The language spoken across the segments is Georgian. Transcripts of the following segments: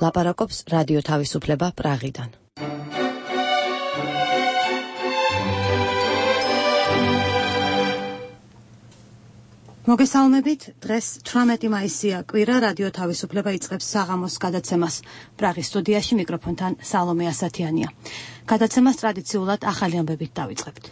ლაპარაკობს რადიო თავისუფლება პრაღიდან. მოგესალმებით, დღეს 18 მაისია, კვირა, რადიო თავისუფლება იწყებს საღამოს გადაცემას. პრაღის სტუდიაში მიკროფონთან სალომე ასათიანია. გადაცემას ტრადიციულად ახალი ამბებით დავიწყებთ.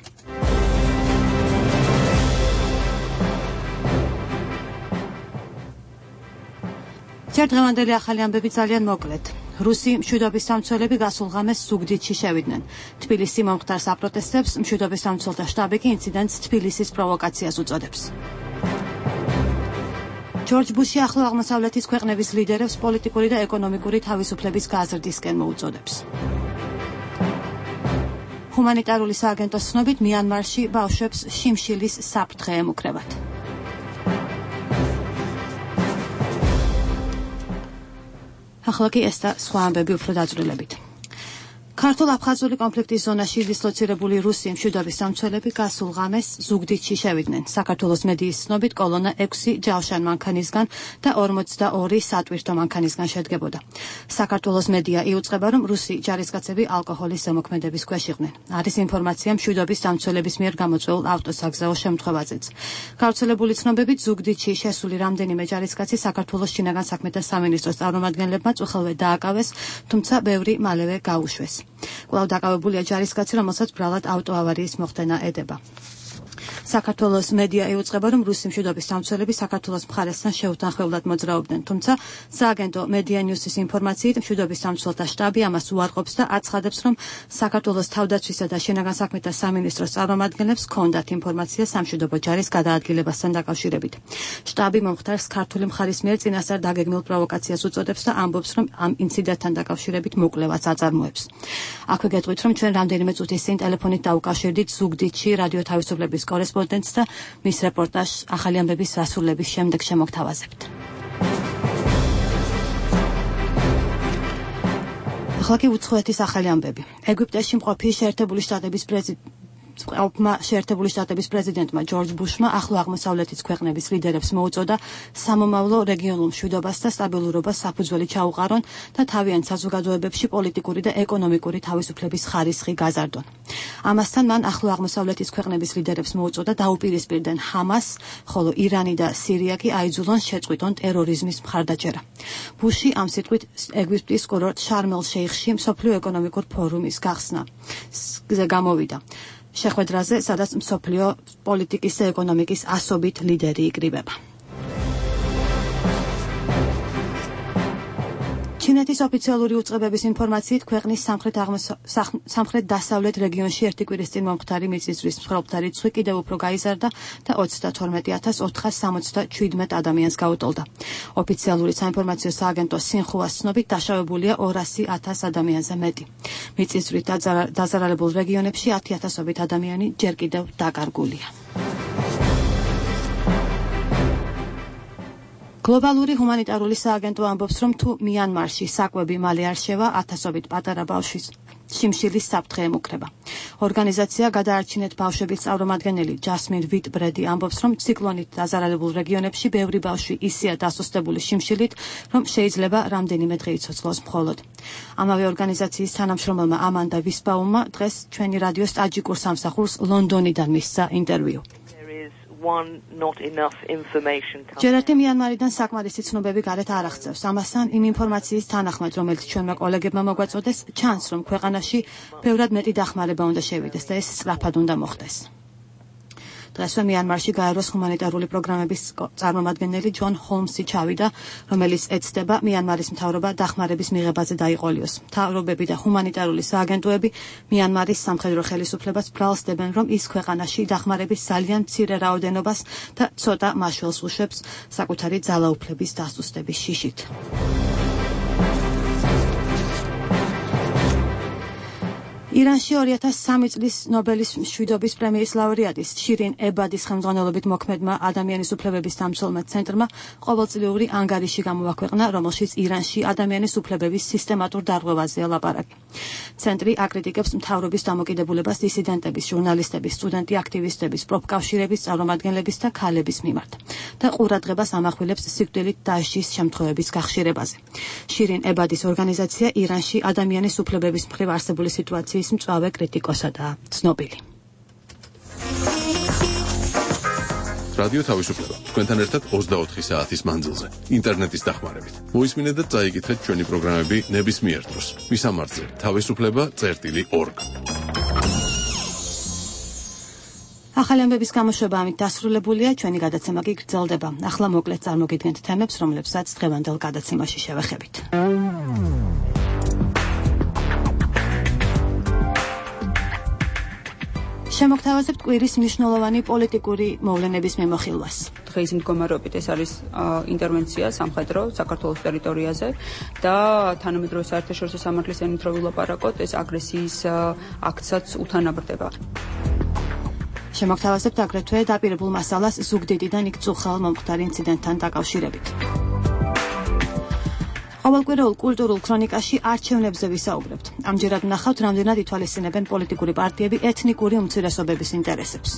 დღევანდელი ახალი ამბები ძალიან მოკლედ. რუსი მშვიდობის სამცველები გასულ ღამეს ზუგდიდში შევიდნენ. თბილისი მომხდარ საპროტესტებს მშვიდობის სამცველთა შტაბი კი ინციდენტს თბილისის პროვოკაციას უწოდებს. ჯორჯ ბუში ახლო აღმოსავლეთის ქვეყნების ლიდერებს პოლიტიკური და ეკონომიკური თავისუფლების გაზრდისკენ მოუწოდებს. ჰუმანიტარული სააგენტოს ცნობით მიანმარში ბავშვებს შიმშილის საფრთხე ემუქრებათ. ახლა კი ეს და სხვა ამბები უფრო დაწვრილებით. ქართულ-აფხაზური კონფლიქტის ზონაში დისლოცირებული რუსი მშვიდობის სამცველები გასულ ღამეს ზუგდიდში შევიდნენ. საქართველოს მედიის ცნობით კოლონა 6 ჯავშან მანქანისგან და 42 სატვირთო მანქანისგან შედგებოდა. საქართველოს მედია იუწყება, რომ რუსი ჯარისკაცები ალკოჰოლის ზემოქმედების ქვეშ იყვნენ. არის ინფორმაცია მშვიდობის სამცველების მიერ გამოწვეულ ავტოსაგზაო შემთხვევაზეც. გავრცელებული ცნობებით ზუგდიდში შესული რამდენიმე ჯარისკაცი საქართველოს შინაგან საქმეთა სამინისტროს წარმომადგენლებმა წუხელვე დააკავეს, თუმცა ბევრი მალევე გაუშვეს. კვლავ დაკავებულია ჯარისკაცი, რომელსაც ბრალად ავტოავარიის მოხდენა ედება. საქართველოს მედია იუწყება, რომ რუსი მშვიდობის სამცველები საქართველოს მხარესთან შეუთანხმებლად მოძრაობდნენ, თუმცა სააგენტო მედია ნიუსის ინფორმაციით მშვიდობის სამცველთა შტაბი ამას უარყოფს და აცხადებს, რომ საქართველოს თავდაცვისა და შინაგან საქმეთა სამინისტროს წარმომადგენლებს ჰქონდათ ინფორმაცია სამშვიდობო ჯარის გადაადგილებასთან დაკავშირებით. შტაბი მომხდარს ქართული მხარის მიერ წინასწარ დაგეგმილ პროვოკაციას უწოდებს და ამბობს, რომ ამ ინციდენტთან დაკავშირებით მოკვლევას აწარმოებს. აქვე გეტყვით, რომ ჩვენ რამდენიმე წუთის წინ ტელეფონით დაუკავშირდით ზუგდიდში რადიო თავისუფლების კორესპონდენტს და მის რეპორტაჟს ახალი ამბების დასრულების შემდეგ შემოგთავაზებთ. ახლა კი უცხოეთის ახალი ამბები. ეგვიპტეში მყოფი შეერთებული შტატების პრეზიდენტმა ჯორჯ ბუშმა ახლო აღმოსავლეთის ქვეყნების ლიდერებს მოუწოდა სამომავლო რეგიონულ მშვიდობას და სტაბილურობას საფუძველი ჩაუყარონ და თავიანთ საზოგადოებებში პოლიტიკური და ეკონომიკური თავისუფლების ხარისხი გაზარდონ. ამასთან მან ახლო აღმოსავლეთის ქვეყნების ლიდერებს მოუწოდა დაუპირისპირდნენ ჰამას, ხოლო ირანი და სირია კი აიძულონ შეწყვიტონ ტერორიზმის მხარდაჭერა. ბუში ამ სიტყვით ეგვიპტის კურორტ შარმ-ელ-შეიხში მსოფლიო ეკონომიკურ ფორუმის გახსნაზე გამოვიდა. შეხვედრაზე, სადაც მსოფლიო პოლიტიკის და ეკონომიკის ასობით ლიდერი იკრიბება. ჩინეთის ოფიციალური უწყებების ინფორმაციით ქვეყნის სამხრეთ-დასავლეთ რეგიონში ერთი კვირის წინ მომხდარი მიწისძვრის მსხვერპლთა რიცხვი კიდევ უფრო გაიზარდა და 32477 ადამიანს გაუტოლდა. ოფიციალური საინფორმაციო სააგენტო სინხუას ცნობით დაშავებულია 200,000 ადამიანზე მეტი. მიწისძვრით დაზარალებულ რეგიონებში 10,000-ობით ადამიანი ჯერ კიდევ დაკარგულია. გლობალური ჰუმანიტარული სააგენტო ამბობს, რომ თუ მიანმარში საკვები მალე არ შევა, 1000-ობით პატარა ბავშვის შიმშილის საფრთხე ემუქრება. ორგანიზაცია გადაარჩინეთ ბავშვების წარმომადგენელი ჯასმინ ვიტ-ბრედი ამბობს, რომ ციკლონით დაზარალებულ რეგიონებში ბევრი ბავშვი ისეა დასუსტებული შიმშილით, რომ შეიძლება რამდენიმე დღე იცოცხლოს მხოლოდ. ამავე ორგანიზაციის თანამშრომელმა ამანდა ვისბაუმმა დღეს ჩვენი რადიოს ტაჯიკურ სამსახურს ლონდონიდან მისცა ინტერვიუ. ჯერ ერთი მიანმარიდან საკმარისი ცნობები გარეთ არ აღწევს. ამასთან იმ ინფორმაციის თანახმად, რომელიც ჩვენმა კოლეგებმა მოგვაწოდეს, ჩანს, რომ ქვეყანაში ბევრად მეტი დახმარება უნდა შევიდეს და ეს სწრაფად უნდა მოხდეს. დღესვე მიანმარში გაეროს ჰუმანიტარული პროგრამების წარმომადგენელი ჯონ ჰოლმსი ჩავიდა, რომელიც ეცდება მიანმარის მთავრობა დახმარების მიღებაზე დაიყოლიოს. მთავრობები და ჰუმანიტარული სააგენტოები მიანმარის სამხედრო ხელისუფლებას ბრალსდებენ, რომ ის ქვეყანაში დახმარების ძალიან მცირე რაოდენობას და ცოტა მაშველს უშვებს საკუთარი ძალაუფლების დასუსტების შიშით. ირანში 2003 წლის ნობელის მშვიდობის პრემიის ლაურეატის შირინ ებადის ხელმძღვანელობით მოქმედმა ადამიანის უფლებების დამცველმა ცენტრმა ყოველწლიური ანგარიში გამოაქვეყნა, რომელშიც ირანში ადამიანის უფლებების სისტემატურ დარღვევაზეა ლაპარაკი. ცენტრი აკრიტიკებს მთავრობის დამოკიდებულებას დისიდენტების, ჟურნალისტების, სტუდენტი აქტივისტების, პროფკავშირების წარმომადგენლების და ქალების მიმართ და ყურადღებას ამახვილებს სიკვდილით დასჯის შემთხვევების გახშირებაზე. შირინ ებადის ორგანიზაცია ირანში ადამიანის უფლებების მხრივ არსებული სიტუაციის მწვავე კრიტიკოსადაა ცნობილი. რადიო თავისუფლება თქვენთან ერთად 24 საათის მანძილზე ინტერნეტის დახმარებით. მოისმინეთ და წაიკითხეთ ჩვენი პროგრამები ნებისმიერ დროს. მისამართზე თავისუფლება.org. ახალი ამბების გამოშვება ამით დასრულებულია, ჩვენი გადაცემა კი გრძელდება. ახლა მოკლედ წარმოგიდგენთ თემებს, რომლებსაც დღევანდელ გადაცემაში შევეხებით. შემოგთავაზებთ კვირის მნიშვნელოვანი პოლიტიკური მოვლენების მიმოხილვას. დღის მდგომარეობით ეს არის ინტერვენცია სამხედრო საქართველოს ტერიტორიაზე და თანამედროვე საერთაშორისო სამართლის ენით რო ვილაპარაკოთ, ეს აგრესიის აქტსაც უთანაბრდება. შემოგთავაზებთ აგრეთვე დაპირებულ მასალას ზუგდიდიდან იქ წუხალ მომხდარ ინციდენტთან დაკავშირებით. ყოველკვირეულ კულტურულ ქრონიკაში არჩევნებზე ვისაუბრებთ. ამჯერად ვნახავთ, რამდენად ითვალისწინებენ პოლიტიკური პარტიები ეთნიკური უმცირესობების ინტერესებს.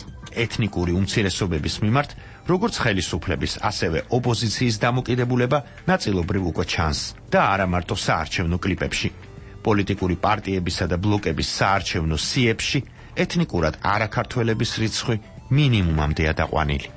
ეთნიკური უმცირესობების მიმართ, როგორც ხელისუფლების, ასევე ოპოზიციის დამოკიდებულება ნაწილობრივ უკვე ჩანს და არა მარტო საარჩევნო კლიპებში. პოლიტიკური პარტიებისა და ბლოკების საარჩევნო სიებში ეთნიკურად არაქართველების რიცხვი მინიმუმამდეა დაყვანილი.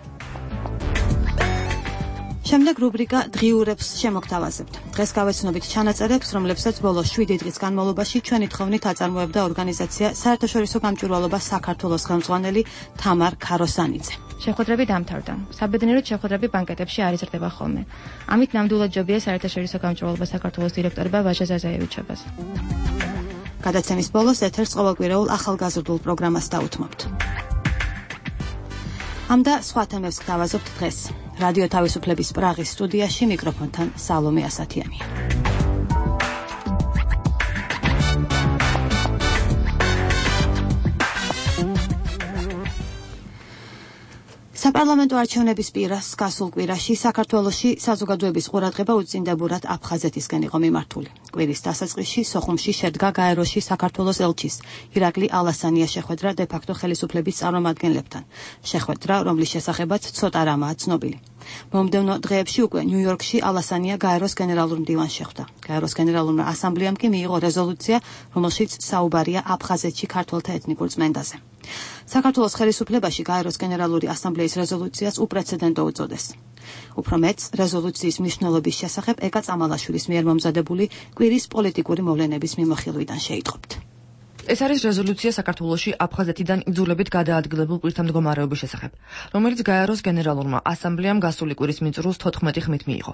შემდეგ რუბრიკა დღიურებს შემოგთავაზებთ. დღეს გავეცნობით ჩანაწერებს, რომლებსაც ბოლო 7 დღის განმავლობაში ჩვენი თხოვნით აწარმოებდა ორგანიზაცია საერთაშორისო გამჭვირვალობა საქართველოს ხელმძღვანელი თამარ ქაროსანიძე. შეხვედრები დამთავრდა. საბედნიეროდ შეხვედრები ბანკეტებში არ იზრდება ხოლმე. ამით ნამდვილად ჯობია საერთაშორისო გამჭვირვალობა საქართველოს დირექტორება ვაჟა ზაზაევიჩებას. გადაცემის ბოლოს ეთერს ყოველკვირეულ ახალგაზრდულ პროგრამას დაუთმობთ. ამ და სხვა თემებს გთავაზობთ დღეს. რადიო თავისუფლების პრაღის სტუდიაში მიკროფონთან სალომე ასათიანია. საპარლამენტო არჩევნების პირას გასულ კვირაში საქართველოში საზოგადოების ყურადღება უწინდებურად აფხაზეთისკენ იყო მიმართული. კვირის დასაწყისში სოხუმში შედგა გაეროში საქართველოს ელჩის ირაკლი ალასანია შეხვედრა დე-ფაქტო ხელისუფლების წარმომადგენლებთან. შეხვედრა, რომლის შესახებაც ცოტა რამაა ცნობილი. მომდევნო დღეებში უკვე ნიუ-იორკში ალასანია გაეროს გენერალურ მდივანს შეხვდა. გაეროს გენერალურმა ასამბლეამ კი მიიღო რეზოლუცია, რომელშიც საუბარია აფხაზეთში ქართველთა ეთნიკურ წმენდაზე. საქართველოს ხელისუფლებაში გაეროს გენერალური ასამბლეის რეზოლუციას უპრეცედენტო უწოდეს. უფრო მეც, რეზოლუციის მნიშვნელობის შესახებ ეკა წამალაშვილის მიერ მომზადებული კვირის პოლიტიკური მოვლენების მიმოხილვიდან შეიტყობთ. ეს არის რეზოლუცია საქართველოში აფხაზეთიდან იძულებით გადაადგილებულ პირთა მდგომარეობის შესახებ, რომელიც გაეროს გენერალურმა ასამბლეამ გასული კვირის მიწურულს 14 ხმით მიიღო.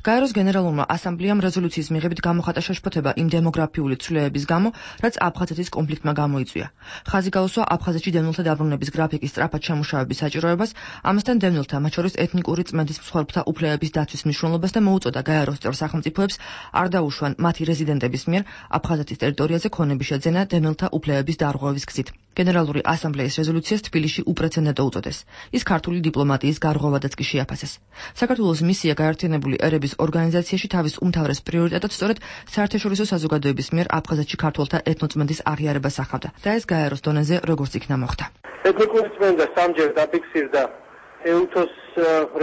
გაეროს გენერალურმა ასამბლეამ რეზოლუციის მიღებით გამოხატა შეშფოთება იმ დემოგრაფიული ცვლილებების გამო, რაც აფხაზეთის კონფლიქტმა გამოიწვია. ხაზი გაუსვა აფხაზეთში დევნილთა დაბრუნების გრაფიკის სწრაფად შემუშავების საჭიროებას, ამასთან დევნილთა, მათ შორის ეთნიკური წმენდის მსხვერპლთა უფლებების დაცვის მნიშვნელობას და მოუწოდა გაეროს წევრ სახელმწიფოებს არ დაუშვან მათი რეზიდენტების მიერ აფხაზეთის ტერიტორიაზე ქონების შეძენა დევნილთა უფლებების დარღვევის გზით. გენერალური ასამბლეის რეზოლუციას თბილისში უპრეცედენტო უწოდეს. ის ქართული დიპლომატიის გარღვევადაც კი შეაფასეს. საქართველოს მისია გაერთიანებული ერების ორგანიზაციაში თავის უმთავრეს პრიორიტეტად სწორედ საერთაშორისო საზოგადოების მიერ აფხაზეთში ქართველთა ეთნოწმენდის აღიარებას ახავდა და ეს გაეროს დონეზე როგორც იქნა მოხდა. ეთნიკური წმენდა სამჯერ დაფიქსირდა ეუთოს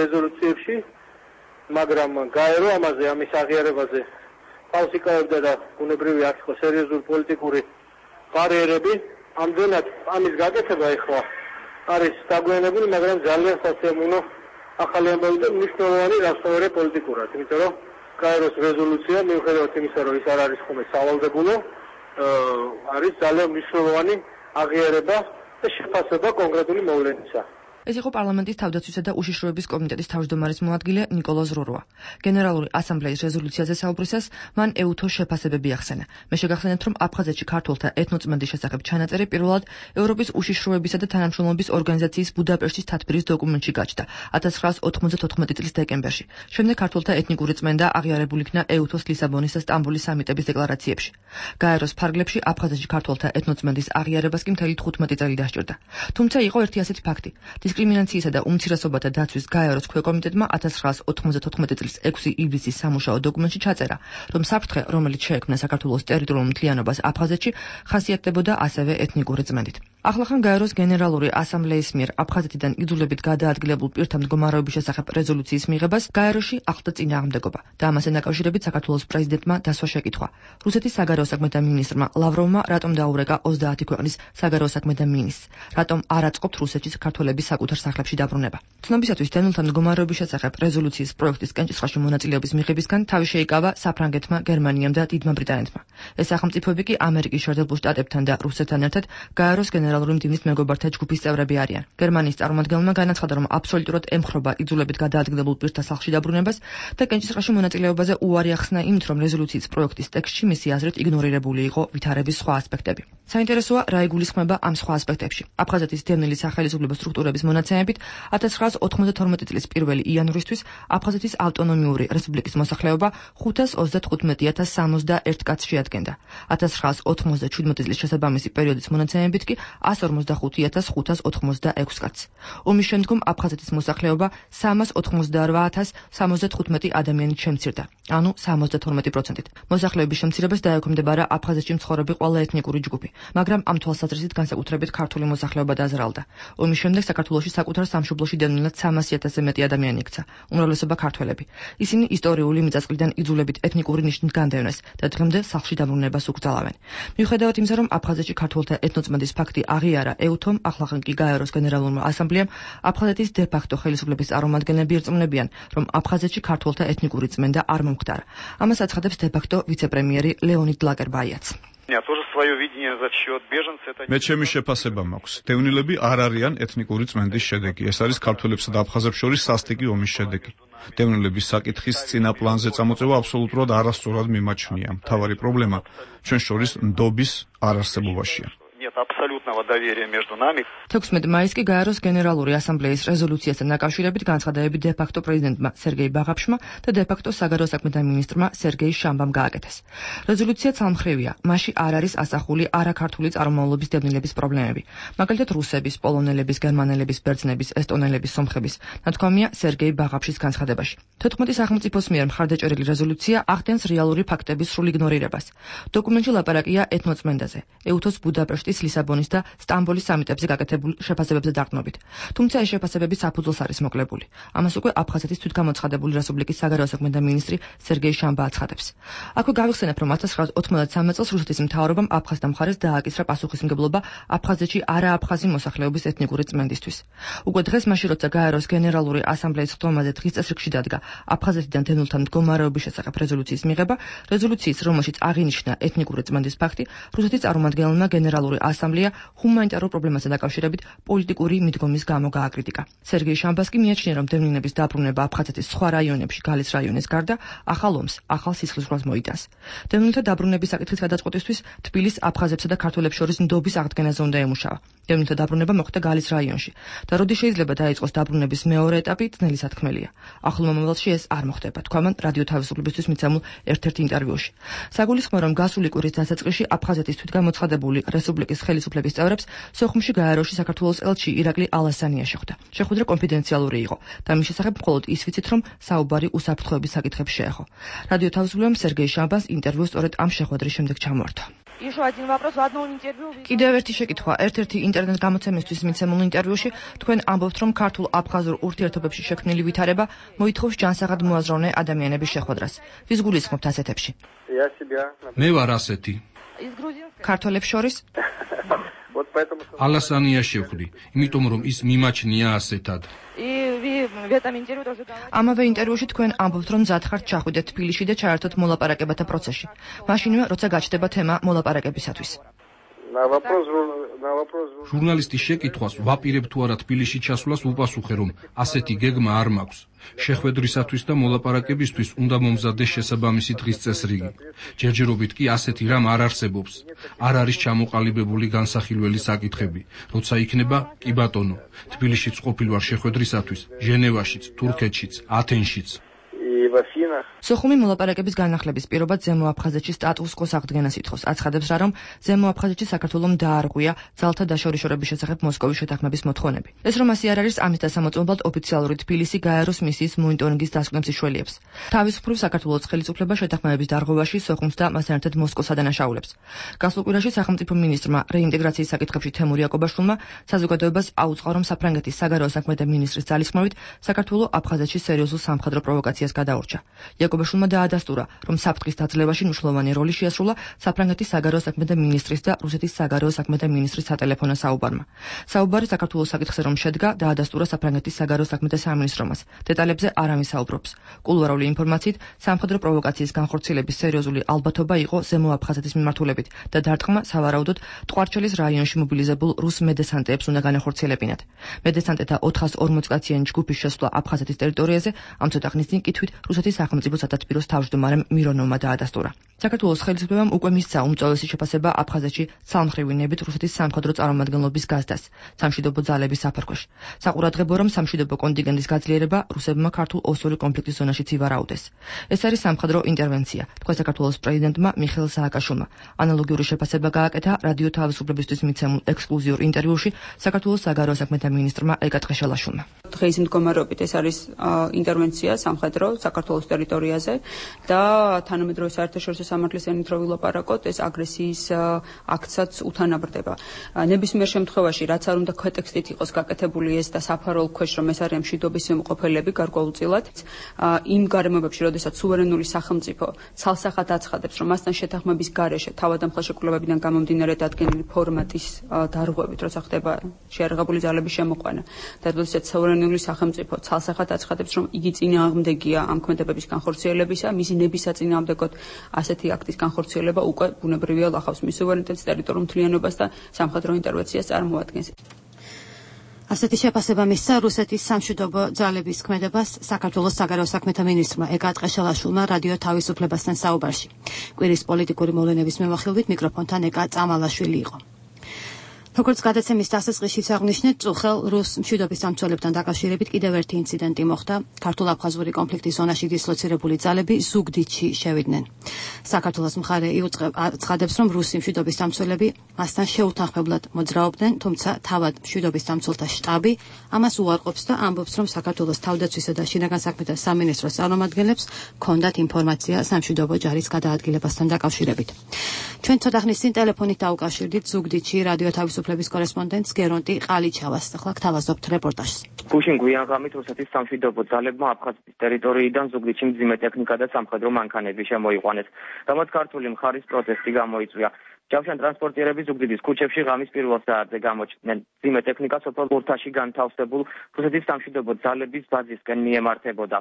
რეზოლუციებში, მაგრამ გაერო ამაზე ამის აღიარებაზე თავს იკავებდა და ბუნებრივი არ იყო სერიოზული პოლიტიკური ბარიერები. ამდენად ამის გაკეთება ეხლა არის დაგვიანებული, მაგრამ ძალიან სასიამოვნო ახალი ამბავი და მნიშვნელოვანი რასწორე პოლიტიკურად, იმიტომ რომ გაეროს რეზოლუცია მიუხედავად იმისა, რომ ის არ არის ხოლმე სავალდებულო, არის ძალიან მნიშვნელოვანი აღიარება და შეფასება კონკრეტული მოვლენისა. ეს იყო პარლამენტის თავდაცვისა და უშიშროების კომიტეტის თავმჯდომარის მოადგილე ნიკოლოზ როროა. გენერალური ასამბლეის რეზოლუციაზე საუბრისას მან ეუთოს შეფასებები ახსენა. მე შეგახსენებთ, რომ აფხაზეთში ქართველთა ეთნოწმენდის შესახებ ჩანაწერი პირველად ევროპის უშიშროებისა და თანამშრომლობის ორგანიზაციის ბუდაპეშტის თათბირის დოკუმენტში გაჩნდა 1994 წლის დეკემბერში. შემდეგ ქართველთა ეთნიკური წმენდა აღიარებულ იქნა ეუთოს ლისაბონის და სტამბოლის სამიტების დეკლარაციებში. გაეროს ფარგლებში აფხაზეთში ქართველთა ეთნოწმენდის აღიარებას კი მთელი 15 წელი დასჭირდა. თუმცა იყო ერთი ასეთი ფაქტი. დისკრიმინაციისა და უმცირესობათა დაცვის გაეროს ქვეკომიტეტმა 1994 წლის 6 ივლისის სამუშაო დოკუმენტში ჩაწერა, რომ საფრთხე, რომელიც შეექმნა საქართველოს ტერიტორიულ მთლიანობას აფხაზეთში, ხასიათდებოდა ასევე ეთნიკური წმენდით. ახლახან გაეროს გენერალური ასამბლეის მიერ აფხაზეთიდან იძულებით გადაადგილებულ პირთა მდგომარეობის შესახებ რეზოლუციის მიღებას გაეროში ახლდა წინააღმდეგობა და ამასთან დაკავშირებით საქართველოს პრეზიდენტმა დასვა შეკითხვა. რუსეთის საგარეო საქმეთა მინისტრმა ლავროვმა რატომ დაურეკა 30 ქვეყნის საგარეო საქმეთა მინისტრს, რატომ არ აწყობთ რუსეთში ქართველების საკუთარ სახლებში დაბრუნება. ცნობისათვის დევნილთა მდგომარეობის შესახებ რეზოლუციის პროექტის კენჭისყრაში მონაწილეობის მიღებისგან თავი შეიკავა საფრანგეთმა, გერმანიამ და დიდმა ბრიტანეთმა. ეს სახელმწიფოები კი ამერიკის შეერთებულ შტატებთან და რუსეთთან ერთად გაეროს გენერალური მდივნის მეგობართა ჯგუფის წევრები არიან. გერმანიის წარმომადგენელმა განაცხადა, რომ აბსოლუტურად ემხრობა იძულებით გადაადგილებულ პირთა სახლში დაბრუნებას და კენჭისყრაში მონაწილეობაზე უარი ახსნა იმით, რომ რეზოლუციის პროექტის ტექსტში მისი აზრით იგნორირებული იყო ვითარების სხვა ასპექტები. საინტერესოა, რა იგულისხმება ამ სხვა ასპექტებში. აფხაზეთის დევნილი სახელმწიფო სტრუქტურების მონაცემებით 1992 წლის 1 იანვრისთვის აფხაზეთის ავტონომიური რესპუბლიკის მოსახლეობა 535,061 კაცს შეადგენდა. 1997 წლის შესაბამისი პერიოდის მონაცემებით კი 145,586 კაცს. ომის შემდგომ აფხაზეთის მოსახლეობა 388,075 ადამიანით შემცირდა, ანუ 72%-ით. მოსახლეობის შემცირებას დაექვემდებარა აფხაზეთში მცხოვრები ყველა ეთნიკური ჯგუფი, მაგრამ ამ თვალსაზრისით განსაკუთრებით ქართული მოსახლეობა დაზრალდა. ომის შემდეგ საქართველოში საკუთარ სამშობლოში დევნილად 300,000-ზე მეტი ადამიანი იქცა, უმრავლესობა ქართველები. ისინი ისტორიული მიწასყრიდან იძულებით ეთნიკური ნიშნით განდევნეს და დღემდე სახლში დაბრუნებას უკრძალავენ. მიუხედავად იმისა, რომ აფხაზეთში ქართველთა ეთნოწმენდის ფაქტი აღიარა ეუთომ, ახლახან კი გაეროს გენერალურმა ასამბლეამ, აფხაზეთის დე-ფაქტო ხელისუფლების წარმომადგენლები ირწმუნებიან, რომ აფხაზეთში ქართველთა ეთნიკური წმენდა არ მომხდარა. ამას აცხადებს დე-ფაქტო ვიცე-პრემიერი ლეონიდ ლაკერბაიაც. მე ჩემი შეფასება მაქვს. დევნილები არ არიან ეთნიკური წმენდის შედეგი. ეს არის ქართველებსა და აფხაზებს შორის სასტიკი ომის შედეგი. დევნილების საკითხის წინა პლანზე წამოწევა აბსოლუტურად არასწორად მიმაჩნია. მთავარი პრობლემა ჩვენ შორის ნდობის არარსებობაშია. 16 მაისს კი გაეროს გენერალური ასამბლეის რეზოლუციასთან დაკავშირებით განცხადებები დე-ფაქტო პრეზიდენტმა სერგეი ბაღაფშმა და დე-ფაქტო საგარეო საქმეთა მინისტრმა სერგეი შამბამ გააკეთეს. რეზოლუცია ცალმხრივია, მასში არ არის ასახული არაქართული წარმომავლობის დევნილების პრობლემები, მაგალითად რუსების, პოლონელების, გერმანელების, ბერძნების, ესტონელების, სომხების, ნათქვამია სერგეი ბაღაფშის განცხადებაში. 14 სახელმწიფოს მიერ მხარდაჭერილი რეზოლუცია ახდენს რეალური ფაქტების სრულ იგნორირებას. დოკუმენტში ლაპარაკია ეთნოწმენდაზე, ეუთოს ბუდაპეშტის, ლისაბონის და სტამბოლის სამიტებზე გაკეთებულ შეფასებებზე დაყრდნობით. თუმცა ეს შეფასებები საფუძველს არის მოკლებული. ამას უკვე აფხაზეთის თვითგამოცხადებული რესპუბლიკის საგარეო საქმეთა მინისტრი სერგეი შამბა აცხადებს. აქვე გავიხსენებ, რომ 1993 წელს რუსეთის მთავრობამ აფხაზთა მხარეს დააკისრა პასუხისმგებლობა აფხაზეთში არააფხაზი მოსახლეობის ეთნიკური წმენდისთვის. უკვე დღეს მაშინ, როცა გაეროს გენერალური ასამბლეის ხდომაზე დღის წესრიგში დადგა აფხაზეთიდან დევნილთა მდგომარეობის შესახებ რეზოლუციის მიღება, რეზოლუციის, რომელშიც აღინიშნა ეთნიკური წმენდის ფაქტი, რუსეთის წარმომადგენელმა გენერალური ასამბლეა ჰუმანიტარულ პრობლემასთან დაკავშირებით პოლიტიკური მიდგომის გამო გააკრიტიკა. სერგეი შამბას კი მიაჩნია, რომ დევნილების დაბრუნება აფხაზეთის სხვა რაიონებში, გალის რაიონის გარდა, ახალ ომს, ახალ სისხლისღვრას მოიტანს. დევნილთა დაბრუნების საკითხის გადაწყვეტისთვის თბილისს აფხაზებსა და ქართველებს შორის ნდობის აღდგენაზე უნდა ემუშავა. დევნილთა დაბრუნება მოხდა გალის რაიონში და როდის შეიძლება დაიწყოს დაბრუნების მეორე ეტაპი, ძნელი სათქმელია. ახლო მომავალში ეს არ მოხდება, თქვა მან რადიო თავისუფლებისთვის მიცემულ ერთ-ერთ ინტერვიუში. საგულისხმოა, რომ გასული კვირის დასაწყისში აფხაზეთის თვითგამოცხადებული რესპუბლიკის ხელისუფლების წევრებს სოხუმში გაეროში საქართველოს ელჩი ირაკლი ალასანია შეხვდა. შეხვედრა კონფიდენციალური იყო და მის შესახებ მხოლოდ ის ვიცით, რომ საუბარი უსაფრთხოების საკითხებს შეეხო. რადიო თავისუფლებამ სერგეი შამბას ინტერვიუ სწორედ ამ შეხვედრის შემდეგ ჩამოართვა. კიდევ ერთი შეკითხვა. ერთ-ერთი ინტერნეტ გამოცემისთვის მიცემულ ინტერვიუში თქვენ ამბობთ, რომ ქართულ აფხაზურ ურთიერთობებში შექმნილი ვითარება მოითხოვს ჯანსაღად მოაზროვნე ადამიანების შეხვედრას. ვის გულისხმობთ ასეთებში? მე ვარ ასეთი. ქართველებს შორის? ალასანია შევხვდი, იმიტომ რომ ის მიმაჩნია ასეთად. ამავე ინტერვიუში თქვენ ამბობთ, რომ მზად ხართ ჩახვიდეთ თბილისში და ჩაერთოთ მოლაპარაკებათა პროცესში. მაშინვე, როცა გაჩნდება თემა მოლაპარაკებისათვის. ჟურნალისტის შეკითხვას ვაპირებ თუ არა თბილისში ჩასვლას უპასუხე, რომ ასეთი გეგმა არ მაქვს. შეხვედრისათვის და მოლაპარაკებისთვის უნდა მომზადდეს შესაბამისი დღის წესრიგი. ჯერჯერობით კი ასეთი რამ არ არსებობს. არ არის ჩამოყალიბებული განსახილველი საკითხები. როცა იქნება, კი ბატონო, თბილისშიც ყოფილ ვარ შეხვედრისათვის, ჟენევაშიც, თურქეთშიც, ათენშიც. სოხუმი მოლაპარაკების განახლების პირობად ზემო აფხაზეთში სტატუს-კვოს აღდგენას ითხოვს. აცხადებს რა, რომ ზემო აფხაზეთში საქართველომ დაარღვია ძალთა დაშორიშორების შესახებ მოსკოვის შეთანხმების მოთხოვნები. ეს რომ ასე არ არის, ამის დასამოწმებლად ოფიციალური თბილისი გაეროს მისიის მონიტორინგის დასკვნებს იშველიებს. თავისუფლ საქართველოს ხელისუფლება შეთანხმების დარღვევაში სოხუმს და მასთან ერთად მოსკოვს ადანაშაულებს. გასულ კვირაში სახელმწიფო მინისტრმა რეინტეგრაციის საკითხებში თემურ იაკობაშვილმა საზოგადოებას აუწყო, რომ საფრანგეთის საგარეო საქმეთა მინისტრის ძალისხმევით საქართველო აფხაზეთში სერიოზულ სამხედრო პროვოკაციას გადაურჩა. იაკობაშვილმა დაადასტურა, რომ საფრთხის დაძლევაში მნიშვნელოვანი როლი შეასრულა საფრანგეთის საგარეო საქმეთა მინისტრის და რუსეთის საგარეო საქმეთა მინისტრის სატელეფონო საუბარმა. საუბარი საქართველოს საკითხზე რომ შედგა, დაადასტურა საფრანგეთის საგარეო საქმეთა სამინისტრომაც. დეტალებზე არ ამისაუბრობს. კულუარული ინფორმაციით, სამხედრო პროვოკაციის განხორციელების სერიოზული ალბათობა იყო ზემო აფხაზეთის მიმართულებით და დარტყმა სავარაუდოდ ტყვარჩელის რაიონში მობილიზებულ რუს მედესანტეებს უნდა განახორციელებინათ. მედესანტეთა 440 კაციანი ჯგუფის შესვლა აფხაზეთის ტერიტორიაზე ამ ცოტა ხნის წინ კითხვით რუსეთის სახელმწიფო სათათბიროს თავმჯდომარემ მირონოვმა დაადასტურა. საქართველოს ხელისუფლებამ უკვე მისცა უმწვავესი შეფასება აფხაზეთში ცალმხრივი ნებით რუსეთის სამხედრო წარმომადგენლობის გაზდას სამშვიდობო ძალების საფარქვეშ. საყურადღებო რომ სამშვიდობო კონტინგენტის გაძლიერება რუსებმა ქართულ ოსური კონფლიქტის ზონაშიც ივარაუდეს. ეს არის სამხედრო ინტერვენცია, თქვა საქართველოს პრეზიდენტმა მიხეილ სააკაშვილმა. ანალოგიური შეფასება გააკეთა რადიო თავისუფლებისთვის მიცემულ ექსკლუზიურ ინტერვიუში საქართველოს საგარეო საქმეთა მინისტრმა ეკა ტყეშელაშვილმა. დღეის მდგომარეობით ეს არის ინტერვენცია სამხედრო საქართველოს ტერიტორიაზე და თანამედროვე საერთაშორისო სამართლის ენით რო ვილაპარაკოთ, ეს აგრესიის აქტსაც უთანაბრდება. ნებისმიერ შემთხვევაში, რაც არ უნდა ქვეტექსტით იყოს გაკეთებული ეს და საფარულ ქვეშ რომ ეს არის მშვიდობის მყოფელები გარკვეულწილად, იმ გარემოებებში, როდესაც სუვერენული სახელმწიფო ცალსახად აცხადებს, რომ მასთან შეთანხმების გარეშე თავად ამ ხელშეკრულებებიდან გამომდინარე დადგენილი ფორმატის დარღვევით, როცა ხდება შეიარაღებული ძალების შემოყვანა და როდესაც სუვერენული სახელმწიფო ცალსახად აცხადებს, რომ იგი წინააღმდეგია ამ ქმედებების განხორციელებისა, მისი ნების საწინააღმდეგოდ ასეთი აქტის განხორციელება უკვე ბუნებრივია ლახავს მის სუვერენიტეტს, ტერიტორიულ მთლიანობას და სამხედრო ინტერვენციას წარმოადგენს. ასეთი შეფასება მისცა რუსეთის სამშვიდობო ძალების ქმედებას საქართველოს საგარეო საქმეთა მინისტრმა ეკა ტყეშელაშვილმა რადიო თავისუფლებასთან საუბარში. კვირის პოლიტიკური მოვლენების მიმოხილვით მიკროფონთან ეკა წამალაშვილი იყო. როგორც გადაცემის დასაწყისშიც აღნიშნეთ, წუხელ რუს მშვიდობის დამცველებთან დაკავშირებით კიდევ ერთი ინციდენტი მოხდა. ქართულ-აფხაზური კონფლიქტის ზონაში დისლოცირებული ძალები ზუგდიდში შევიდნენ. საქართველოს მხარე აცხადებს, რომ რუსი მშვიდობის დამცველები მასთან შეუთანხმებლად მოძრაობდნენ, თუმცა თავად მშვიდობის დამცველთა შტაბი ამას უარყოფს და ამბობს, რომ საქართველოს თავდაცვისა და შინაგან საქმეთა სამინისტროს წარმომადგენლებს ჰქონდათ ინფორმაცია სამშვიდობო ჯარის გადაადგილებასთან დაკავშირებით. ჩვენ ცოტა ხნის წინ ტელეფონით დაუკავშირდით ზუგდიდში რადიო თავისუფლების კორესპონდენტს გერონტი ყალიჩავას. ახლა გთავაზობთ რეპორტაჟს. გუშინ გვიანღამით რუსეთის სამშვიდობო ძალებმა აფხაზეთის ტერიტორიიდან ზუგდიდში მძიმე ტექნიკა და სამხედრო მანქანები შემოიყვანეს, რამაც ქართული მხარის პროტესტი გამოიწვია. ჯავშან ტრანსპორტიერები ზუგდიდის ქუჩებში ღამის პირველ საათზე გამოჩნდნენ. მძიმე ტექნიკა სოფელ ბურთაში განთავსებულ რუსეთის სამშვიდობო ძალების ბაზისკენ მიემართებოდა.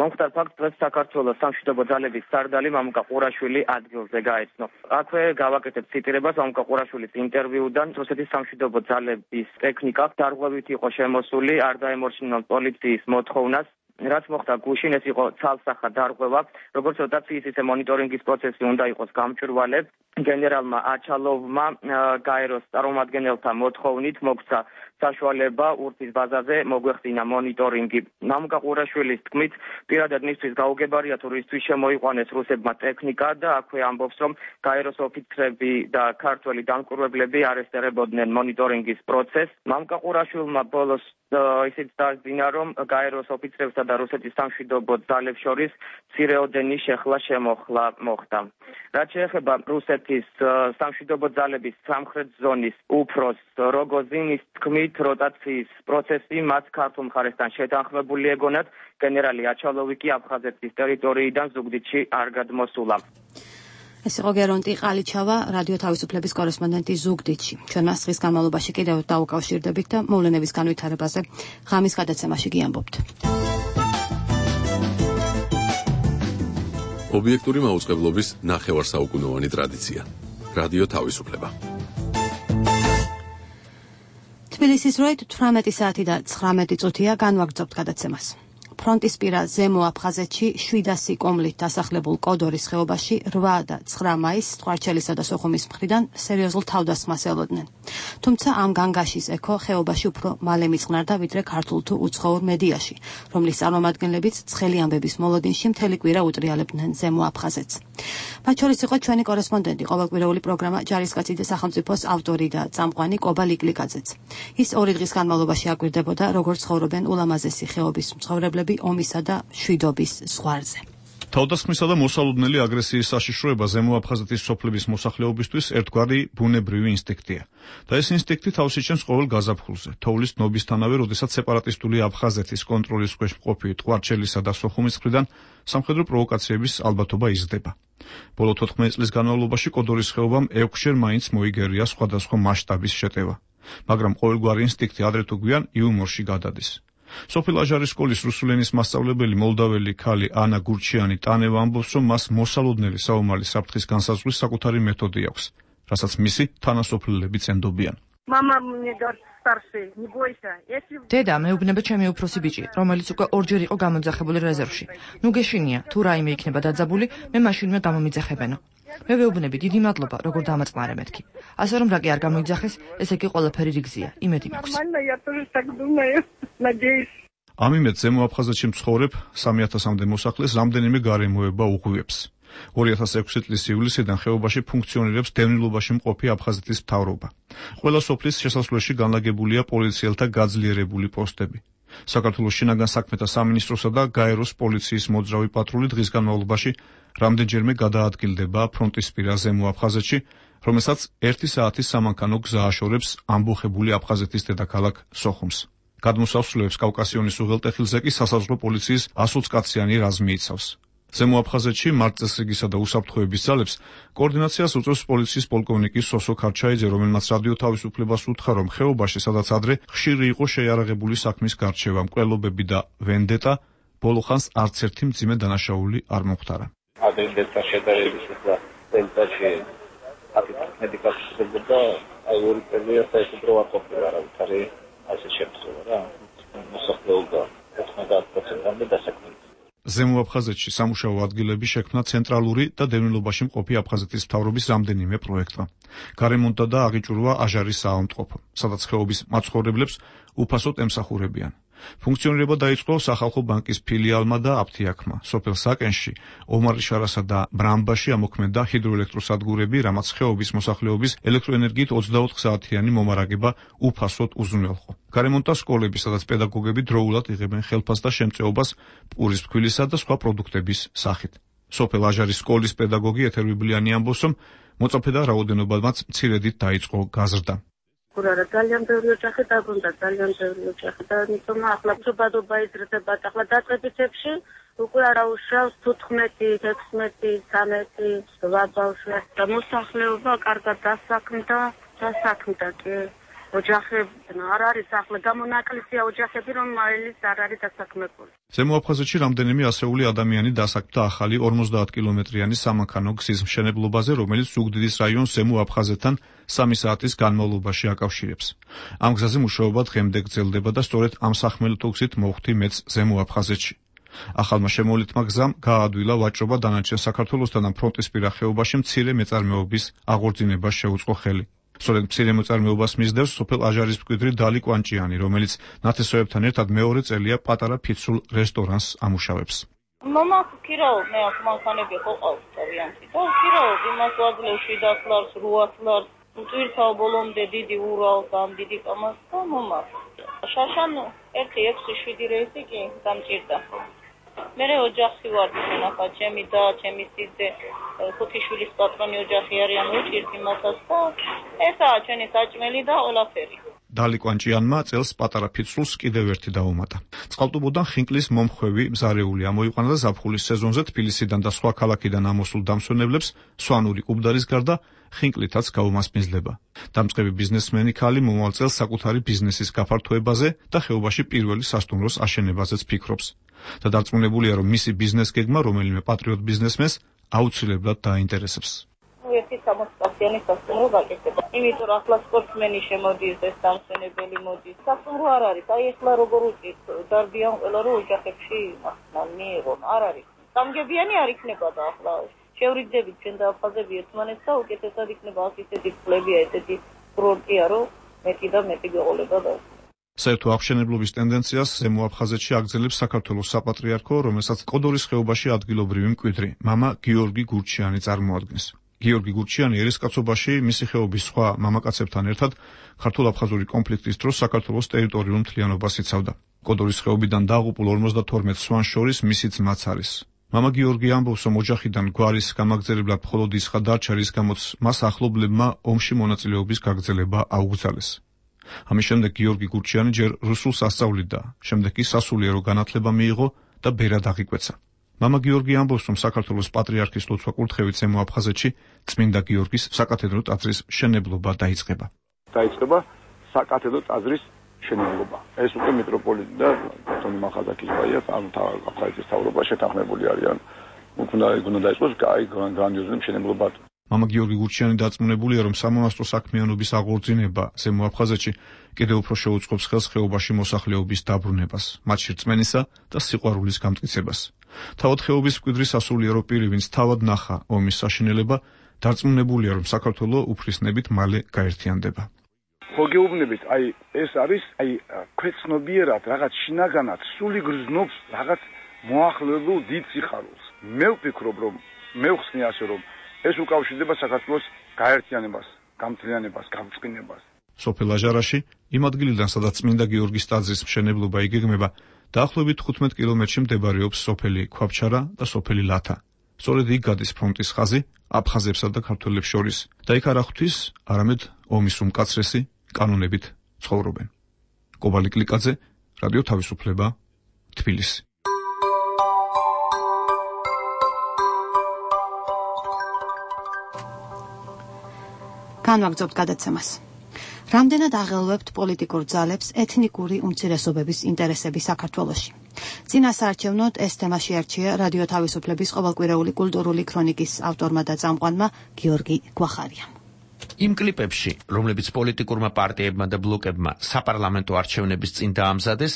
მომხდარ ფაქტს დღეს საქართველოს სამშვიდობო ძალების სარდალი მამუკა ყურაშვილი ადგილზე გაეცნო. აქვე გავაკეთებ ციტირებას მამუკა ყურაშვილის ინტერვიუდან. რუსეთის სამშვიდობო ძალების ტექნიკა დარღვევით იყო შემოსული, არ დაემორჩილა პოლიციის მოთხოვნას. რაც მოხდა გუშინ, ეს იყო ცალსახად დარღვევა, როგორც როტაციის ისე მონიტორინგის პროცესი უნდა იყოს გამჭვირვალე. გენერალმა აჩალოვმა გაეროს წარმომადგენელთა მოთხოვნით მოგცა საშუალება ურთის ბაზაზე მოგვეხსინა მონიტორინგი. მამუკა ყურაშვილის თქმით, პირადად მისთვის გაუგებარია თუ რისთვის შემოიყვანეს რუსებმა ტექნიკა და აქვე ამბობს, რომ გაეროს ოფიცრები და ქართველი დამკვირვებლები არესტირებოდნენ მონიტორინგის პროცესს. მამუკა ყურაშვილმა ბოლოს ისიც დაადგინა, რომ გაეროს ოფიცრებსა და რუსეთის სამშვიდობო ძალებს შორის მცირეოდენი შეხლა-შემოხლა მოხდა. რაც შეეხება რუსეთის სამშვიდობო ძალების სამხრეთ ზონის უფროს როგოზინის თქმით, როტაციის პროცესი მათ ქართულ მხარესთან შეთანხმებული ეგონათ, გენერალი აჩალოვი კი აფხაზეთის ტერიტორიიდან ზუგდიდში არ გადმოსულა. ეს იყო გერონტი ყალიჩავა, რადიო თავისუფლების კორესპონდენტი ზუგდიდში. ჩვენ მას დღის განმავლობაში კიდევ დაუკავშირდებით და მოვლენების განვითარებაზე ღამის გადაცემაში გიამბობთ. ობიექტური მაუწყებლობის ნახევარსაუკუნოვანი ტრადიცია. რადიო თავისუფლება. თბილისის დროით 18 საათი და 19 წუთია განვაგრძობთ გადაცემას. ფრონტისპირა ზემო აფხაზეთში 700 კომლით დასახლებულ კოდორის ხეობაში 8 და 9 მაისს ტყვარჩელისა და სოხუმის მხრიდან სერიოზულ თავდასხმას ელოდნენ. თუმცა ამ განგაშის ექო ხეობაში უფრო მალე მიწყნარდა ვიდრე ქართულ თუ უცხოურ მედიაში, რომლის წარმომადგენლებიც ცხელი ამბების მოლოდინში მთელი კვირა უტრიალებდნენ ზემო აფხაზეთს. მათ შორის იყო ჩვენი კორესპონდენტი, ყოველკვირეული პროგრამა ჯარისკაცი და სახელმწიფოს ავტორი და წამყვანი კობა ლიკლიკაძეც. ის 2 დღის განმავლობაში აკვირდებოდა, როგორ ცხოვრობენ ულამაზესი ხეობის მცხოვრებლები ომისა და შვიდობის ზღვარზე. თავდასხმისა და მოსალოდნელი აგრესიის საშიშროება ზემო აფხაზეთის სოფლების მოსახლეობისთვის ერთგვარი ბუნებრივი ინსტინქტია. და ეს ინსტინქტი თავს იჩენს ყოველ გაზაფხულზე, თოვლის ნობისთანავე, როდესაც სეპარატისტული აფხაზეთის კონტროლის ქვეშ მყოფი ტყვარჩელისა და სოხუმის მხრიდან სამხედრო პროვოკაციების ალბათობა იზრდება. ბოლო 14 წლის განმავლობაში კოდორის ხეობამ 6-ჯერ მაინც მოიგერია სხვადასხვა მასშტაბის შეტევა, მაგრამ ყოველგვარი ინსტინქტი ადრე თუ გვიან იუმორში გადადის. სოფელ აჟარის სკოლის რუსულენის მასწავლებელი მოლდაველი ქალი ანა გურჩიანი ტანევა ამბობს, რომ მას მოსალოდნელი საომარი საფრთხის განსაზღვრის საკუთარი მეთოდი აქვს, რასაც მისი თანასოფლელები წენდობიან. დედა, მეუბნება ჩემი უფროსი ბიჭი, რომელიც უკვე 2-ჯერ იყო გამოძახებული რეზერვში. ნუ გეშინია, თუ რაიმე იქნება დაძაბული, მე მაშინვე გამომიძახებენო. მე ვეუბნები, დიდი მადლობა, როგორ დამაწყნარე მეთქი. ასე რომ რა კი არ გამოიძახეს, ესე იგი ყველაფერი რიგზია, იმედი მაქვს. ამ იმედს ზემო აფხაზეთში მცხოვრებ 3000-მდე მოსახლეს რამდენიმე გარემოება უღვივებს. 2006 წლის ივლისიდან ხეობაში ფუნქციონირებს დევნილობაში მყოფი აფხაზეთის მთავრობა. ყველა სოფლის შესასვლელში განლაგებულია პოლიციელთა გაძლიერებული პოსტები. საქართველოს შინაგან საქმეთა სამინისტროსა და გაეროს პოლიციის მოძრავი პატრული დღის განმავლობაში რამდენჯერმე გადაადგილდება ფრონტისპირა ზემო აფხაზეთში, რომელსაც 1 საათის სამანქანო გზა აშორებს ამბოხებული აფხაზეთის დედაქალაქ სოხუმს. გადმოსასვლელებს კავკასიონის უღელტეხილზე კი სასაზღვრო პოლიციის 120 კაციანი რაზმი იცავს. ზემო აფხაზეთში მარტწესრიგისა და უსაფრთხოების ძალებს კოორდინაციას უწევს პოლიციის პოლკოვნიკი სოსო ქარჩაიძე, რომელმაც რადიო თავისუფლებას უთხრა, რომ ხეობაში, სადაც ადრე ხშირი იყო შეიარაღებული საქმის გარჩევა, მკვლელობები და ვენდეტა, ბოლო ხანს არც ერთი მძიმე დანაშაული არ მომხდარა. ადრინდელთა შედარების და დელტაში აფრიკასმედიკასის და აიური პერიოდს საერთოდ არ ყოფილა არავითარი ასე შემთხვევა რა. მოსახლეობა 90%-მდე დასაქმებული. ზემო აფხაზეთში სამუშაო ადგილები შექმნა ცენტრალური და დევნილობაში მყოფი აფხაზეთის მთავრობის რამდენიმე პროექტმა. გარემონტა და აღიჭურვა აჟარის საავადმყოფო, სადაც ხეობის მაცხოვრებლებს უფასოდ ემსახურებიან. ფუნქციონირება დაიწყო სახალხო ბანკის ფილიალმა და აფთიაქმა. სოფელ საკენში, ომარიშარასა და ბრამბაში ამოქმედა ჰიდროელექტროსადგურები, რამაც ხეობის მოსახლეობის ელექტროენერგიით 24 საათიანი მომარაგება უფასოდ უზრუნველყო. გარემონტა სკოლები, სადაც პედაგოგები დროულად იღებენ ხელფასს და შემწეობას პურის ფქვილისა და სხვა პროდუქტების სახით. სოფელ აჟარის სკოლის პედაგოგი ეთერ ბიბლიანი ამბობს, რომ მოწაფე და რაოდენობამაც მცირედით დაიწყო გაზრდა. Kurara ძალიან ბევრი ოჯახი დაბრუნდა, ძალიან ბევრი ოჯახი და იმიტომ ახლა ბადობა იზრდება, ახლა დაწყებითებში უკვე არა უშავს 15, 16, 13 ბავშვი და მოსახლეობა კარგად დასაქმდა კი ოჯახები არ არის ახლა გამონაკლისია ოჯახები, რომ მაილის არ არის დასაქმებული. ზემო აფხაზეთში რამდენიმე ასეული ადამიანი დასაქმდა ახალი 50 კილომეტრიანი სამანქანო გზის მშენებლობაზე, რომელიც ზუგდიდის რაიონს ზემო აფხაზეთთან 3 საათის განმავლობაში აკავშირებს. ამ გზაზე მუშაობა დღემდე გრძელდება და სწორედ ამ სახმელეთო გზით მოხვდი მეც ზემო აფხაზეთში. ახალმა შემოვლითმა გზამ გაადვილა ვაჭრობა დანარჩენ საქართველოსთან და ფრონტისპირა ხეობაში მცირე მეწარმეობის აღორძინებას შეუწყო ხელი. სწორედ მცირე მეწარმეობას მისდევს სოფელ აჟარის მკვიდრი დალი კვანჭიანი, რომელიც ნათესავებთან ერთად მეორე წელია პატარა ფიცრულ რესტორანს ამუშავებს. Mama ქირაო, მე აქ მანქანები ყოყავს თავიანთი და ქირაო იმას ვაძლევ 700 ლარს, 800 ლარს, უწირთავ ბოლომდე დიდი ურალს, ამ დიდი კამას და მომა. შაშან 1, 6, 7 რეისი კი დამჭირდა. მე ოჯახი ვარ, ნახა, ჩემი და ჩემი სიძე 5 შვილის პატრონი ოჯახი არიან, უჭირთ იმასაც და ესაა ჩვენი საჭმელი და ყველაფერი. დალი კვანჭიანმა წელს პატარა ფიცრულს კიდევ ერთი დაუმატა. წყალტუბოდან ხინკლის მომხვევი მზარეული ამოიყვანა და ზაფხულის სეზონზე თბილისიდან და სხვა ქალაქიდან ამოსულ დამსვენებლებს სვანური კუბდარის გარდა ხინკლითაც გაუმასპინძლება. დამწყები ბიზნესმენი ქალი მომავალ წელს საკუთარი ბიზნესის გაფართოებაზე და ხეობაში პირველი სასტუმროს აშენებაზეც ფიქრობს. და დარწმუნებულია, რომ მისი ბიზნეს გეგმა რომელიმე პატრიოტ ბიზნესმენს აუცილებლად დაინტერესებს. ერთი 60-წლიანი სასტუმრო გაკეთება. იმიტომ რომ ახლა სპორტსმენი შემოდის, ეს დამსვენებელი მოდის. სასტუმრო არ არის. აი ახლა როგორ უწის დარბიან ყველა რომ ოჯახებში მართლ მიიღონ. არ არის. სამგებიანი არ იქნება და ახლა შევრიძებით ჩვენ და აფხაზები ერთმანეთს და უკეთესად იქნება აქ ისეთი ფლებია, ესეთი კურორტია, რომ მეტი და მეტი გეყოლება და საერთო აღშენებლობის ტენდენციას ზემო აფხაზეთში აგრძელებს საქართველოს საპატრიარქო, რომელსაც კოდორის ხეობაში ადგილობრივი მკვიდრი მამა გიორგი გურჩიანი წარმოადგენს. გიორგი გურჩიანი ერისკაცობაში მისი ხეობის სხვა მამაკაცებთან ერთად ქართულ-აფხაზური კონფლიქტის დროს საქართველოს ტერიტორიულ მთლიანობას იცავდა. კოდორის ხეობიდან დაღუპულ 52 სვანს შორის მისი ძმაც არის. მამა გიორგი ამბობს, რომ ოჯახიდან გვარის გამაგრძელებლად მხოლოდ ისხა დარჩა, რის გამოც მას ახლობლებმა ომში მონაწილეობის გაგრძელება აუგზალეს. ამის შემდეგ გიორგი გურჩიანი ჯერ რუსულს ასწავლიდა, შემდეგ კი სასულიერო განათლება მიიღო და ბერად აღიკვეცა. მამა გიორგი ამბობს, რომ საქართველოს პატრიარქის ლოცვა კურთხევით ზემო აფხაზეთში წმინდა გიორგის საკათედრო ტაძრის მშენებლობა დაიწყება. დაიწყება საკათედრო ტაძრის მშენებლობა. ეს უკვე მიტროპოლიტი და ბატონი მახაზაკის ბაია, ანუ აფხაზეთის მთავრობა შეთანხმებული არიან. უნდა დაიწყოს გრანდიოზული მშენებლობა. მამა გიორგი გურჩიანი დარწმუნებულია, რომ სამონასტრო საქმიანობის აღორძინება ზემო აფხაზეთში კიდევ უფრო შეუწყობს ხელს ხეობაში მოსახლეობის დაბრუნებას, მათში რწმენისა და სიყვარულის გამტკიცებას. თავად ხეობის მკვიდრი სასულიერო პირი, ვინც თავად ნახა ომის საშინელება, დარწმუნებულია, რომ საქართველო უფლისნებით მალე გაერთიანდება. ხო გეუბნებით, ეს არის ქვეცნობიერად რაღაც შინაგანად სული გრძნობს რაღაც მოახლებულ დიდ სიხარულს. მე ვფიქრობ, რომ მე ვხსნი ასე, რომ ეს უკავშირდება საქართველოს გაერთიანებას, გამთლიანებას, გამწყინებას. სოფელ აჟარაში, იმ ადგილიდან, სადაც წმინდა გიორგის ტაძრის მშენებლობა იგეგმება, დაახლოებით 15 კილომეტრში მდებარეობს სოფელი ქვაბჩარა და სოფელი ლათა. სწორედ იქ გადის ფრონტის ხაზი აფხაზებსა და ქართველებს შორის და იქ არ ხვთვის არამედ ომის უმკაცრესი კანონებით ცხოვრობენ. კობალი კლიკაძე, რადიო თავისუფლება, თბილისი. განვაგრძობთ გადაცემას. რამდენად აღელვებთ პოლიტიკურ ძალებს ეთნიკური უმცირესობების ინტერესები საქართველოში? წინა საარჩევნოდ ეს თემა შეარჩია რადიო თავისუფლების ყოველკვირეული კულტურული ქრონიკის ავტორმა და წამყვანმა გიორგი გვახარიამ. იმ კლიპებში, რომლებიც პოლიტიკურმა პარტიებმა და ბლოკებმა საპარლამენტო არჩევნების წინ დაამზადეს,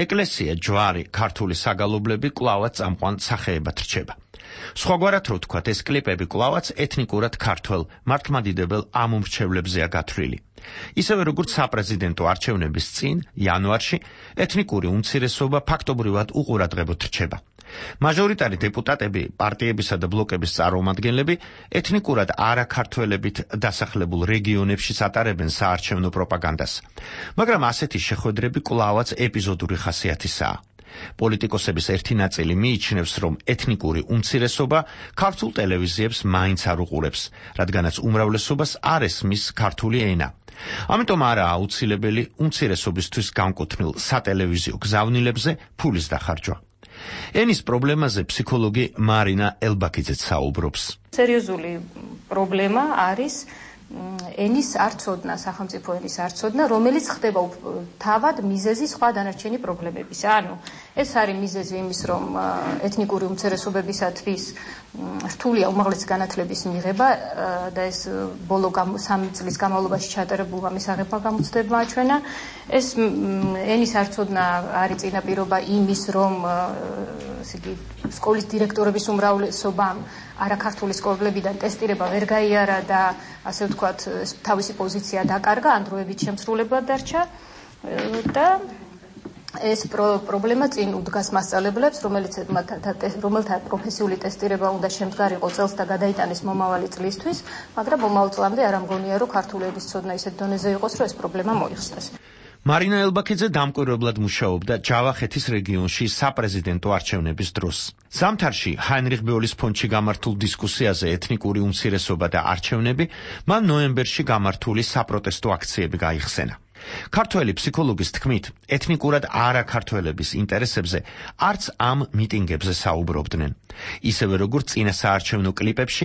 ეკლესია, ჯვარი, ქართული საგალობლები კვლავაც წამყვან სახეებად რჩება. სხვაგვარად რო ვთქვათ, ეს კლიპები კვლავაც ეთნიკურად ქართველ, მართლმადიდებელ ამომრჩევლებზეა გათვლილი. ისევე როგორც საპრეზიდენტო არჩევნების წინ, იანვარში, ეთნიკური უმცირესობა ფაქტობრივად უყურადღებოდ რჩება. მაჟორიტარი დეპუტატები, პარტიებისა და ბლოკების წარმომადგენლები ეთნიკურად არაქართველებით დასახლებულ რეგიონებში ატარებენ საარჩევნო პროპაგანდას. მაგრამ ასეთი შეხვედრები კვლავაც ეპიზოდური ხასიათისაა. პოლიტიკოსების ერთი ნაწილი მიიჩნევს, რომ ეთნიკური უმცირესობა ქართულ ტელევიზიებს მაინც არ უყურებს, რადგანაც უმრავლესობას არ ესმის ქართული ენა. ამიტომ არაა აუცილებელი უმცირესობისთვის განკუთვნილ სატელევიზიო გზავნილებზე ფულის დახარჯვა. ენის პრობლემაზე ფსიქოლოგი მარინა ელბაქიძეც საუბრობს. სერიოზული პრობლემა არის ენის არცოდნა, სახელმწიფო ენის არცოდნა, რომელიც ხდება თავად მიზეზი სხვა დანარჩენი პრობლემებისა. ანუ ეს არის მიზეზი იმის, რომ ეთნიკური უმცირესობებისათვის რთულია უმაღლესი განათლების მიღება და ეს ბოლო 3 წლის განმავლობაში ჩატარებულმა მისაღებმა გამოცდებმა აჩვენა. ეს ენის არცოდნა არის წინაპირობა იმის, რომ სკოლის დირექტორების უმრავლესობამ არაქართული სკოლებიდან ტესტირება ვერ გაიარა და ასე ვთქვათ, თავისი პოზიცია დაკარგა, ან დროებით შემსრულებლად დარჩა და ეს პრობლემა წინ უდგას მასწავლებლებს, რომელთა პროფესიული ტესტირება უნდა შემდგარიყო წელს და გადაიტანეს მომავალი წლისთვის, მაგრამ მომავალ წლამდე არ ამგონია, რომ ქართული ენის ცოდნა ისეთ დონეზე იყოს, რომ ეს პრობლემა მოიხსნას. მარინა ელბაქიძე დამკვირვებლად მუშაობდა ჯავახეთის რეგიონში საპრეზიდენტო არჩევნების დროს. ზამთარში ჰაინრიხ ბეოლის ფონდში გამართულ დისკუსიაზე ეთნიკური უმცირესობა და არჩევნები მან ნოემბერში გამართული საპროტესტო აქციები გაიხსენა. ქართველი ფსიქოლოგის თქმით, ეთნიკურად არაქართველების ინტერესებზე არც ამ მიტინგებზე საუბრობდნენ. ისევე როგორც წინა საარჩევნო კლიპებში,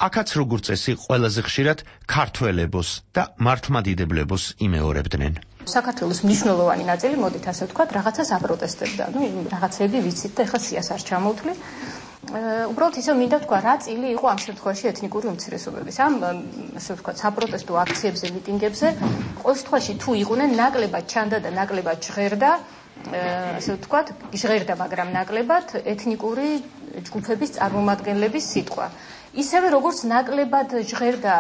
აქაც როგორც წესი ყველაზე ხშირად ქართველებოს და მართლმადიდებლებს იმეორებდნენ. საქართველოს მნიშვნელოვანი ნაწილი, მოდით ასე ვთქვათ, რაღაცას აპროტესტებდა. რაღაცები ვიცით და ეხლა სიას არ ჩამოვთვლი. უბრალოდ ისე მინდა თქვა, რა წილი იყო ამ შემთხვევაში ეთნიკური უმცირესობების. ამ ასე ვთქვათ, საპროტესტო აქციებზე, მიტინგებზე, ყოველ შემთხვევაში თუ იყვნენ ნაკლებად ჩანდა და ნაკლებად ჟღერდა, ასე ვთქვათ, ჟღერდა, მაგრამ ნაკლებად ეთნიკური ჯგუფების წარმომადგენლების სიტყვა. ისევე როგორც ნაკლებად ჟღერდა,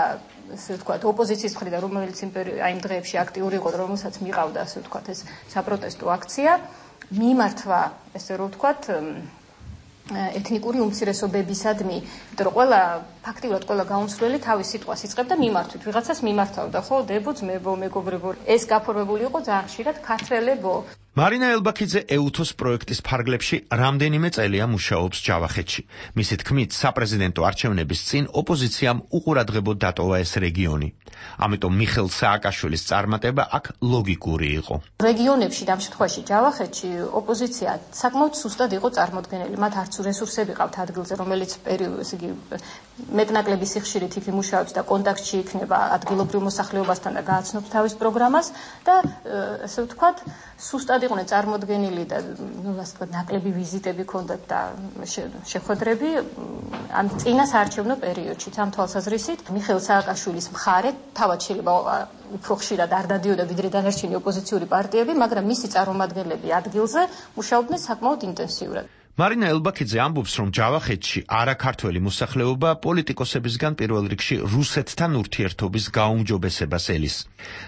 ასე ვთქვათ, ოპოზიციის მხრიდან, რომელიც იმ დღეებში აქტიური იყო, რომელსაც მიყავდა, ასე ვთქვათ, ეს საპროტესტო აქცია, მიმართვა, ესე რომ ვთქვათ, ეთნიკური უმცირესობებისადმი, იმიტომ რომ ფაქტიურად ყველა გაუმცვლელი თავის სიტყვას იწყებდა მიმართვით, ვიღაცას მიმართავდა, ხო, დებო, ძმებო, მეგობრებო. ეს გაფორმებული იყო ძალიან ხშირად ქართველებო. მარინა ელბაქიძე ეუთოს პროექტის ფარგლებში რამდენიმე წელია მუშაობს ჯავახეთში. მისი თქმით, საპრეზიდენტო არჩევნების წინ ოპოზიციამ უყურადღებოდ დატოვა ეს რეგიონი. ამიტომ მიხეილ სააკაშვილის წარმატება აქ ლოგიკური იყო. რეგიონებში, ამ შემთხვევაში ჯავახეთში, ოპოზიცია საკმაოდ სუსტად იყო წარმოდგენილი. მათ არც რესურსები ყავთ ადგილზე, რომელიც მეტნაკლები სიხშირით იქ იმუშავებს და კონტაქტში იქნება ადგილობრივ მოსახლეობასთან და გააცნობს თავის პროგრამას და ასე ვთქვათ, სუსტად იყვნენ წარმოდგენილი და ასე ვთქვათ, ნაკლები ვიზიტები ჰქონდათ და შეხვედრები ამ წინა საარჩევნო პერიოდში. ამ თვალსაზრისით, მიხეილ სააკაშვილის მხარე თავად შეიძლება უფრო ხშირად არ დადიოდა ვიდრე დანარჩენი ოპოზიციური პარტიები, მაგრამ მისი წარმომადგენლები ადგილზე მუშაობდნენ საკმაოდ ინტენსიურად. მარინა ელბაქიძე ამბობს, რომ ჯავახეთში არაქართველი მოსახლეობა პოლიტიკოსებისგან პირველ რიგში რუსეთთან ურთიერთობის გაუმჯობესებას ელის,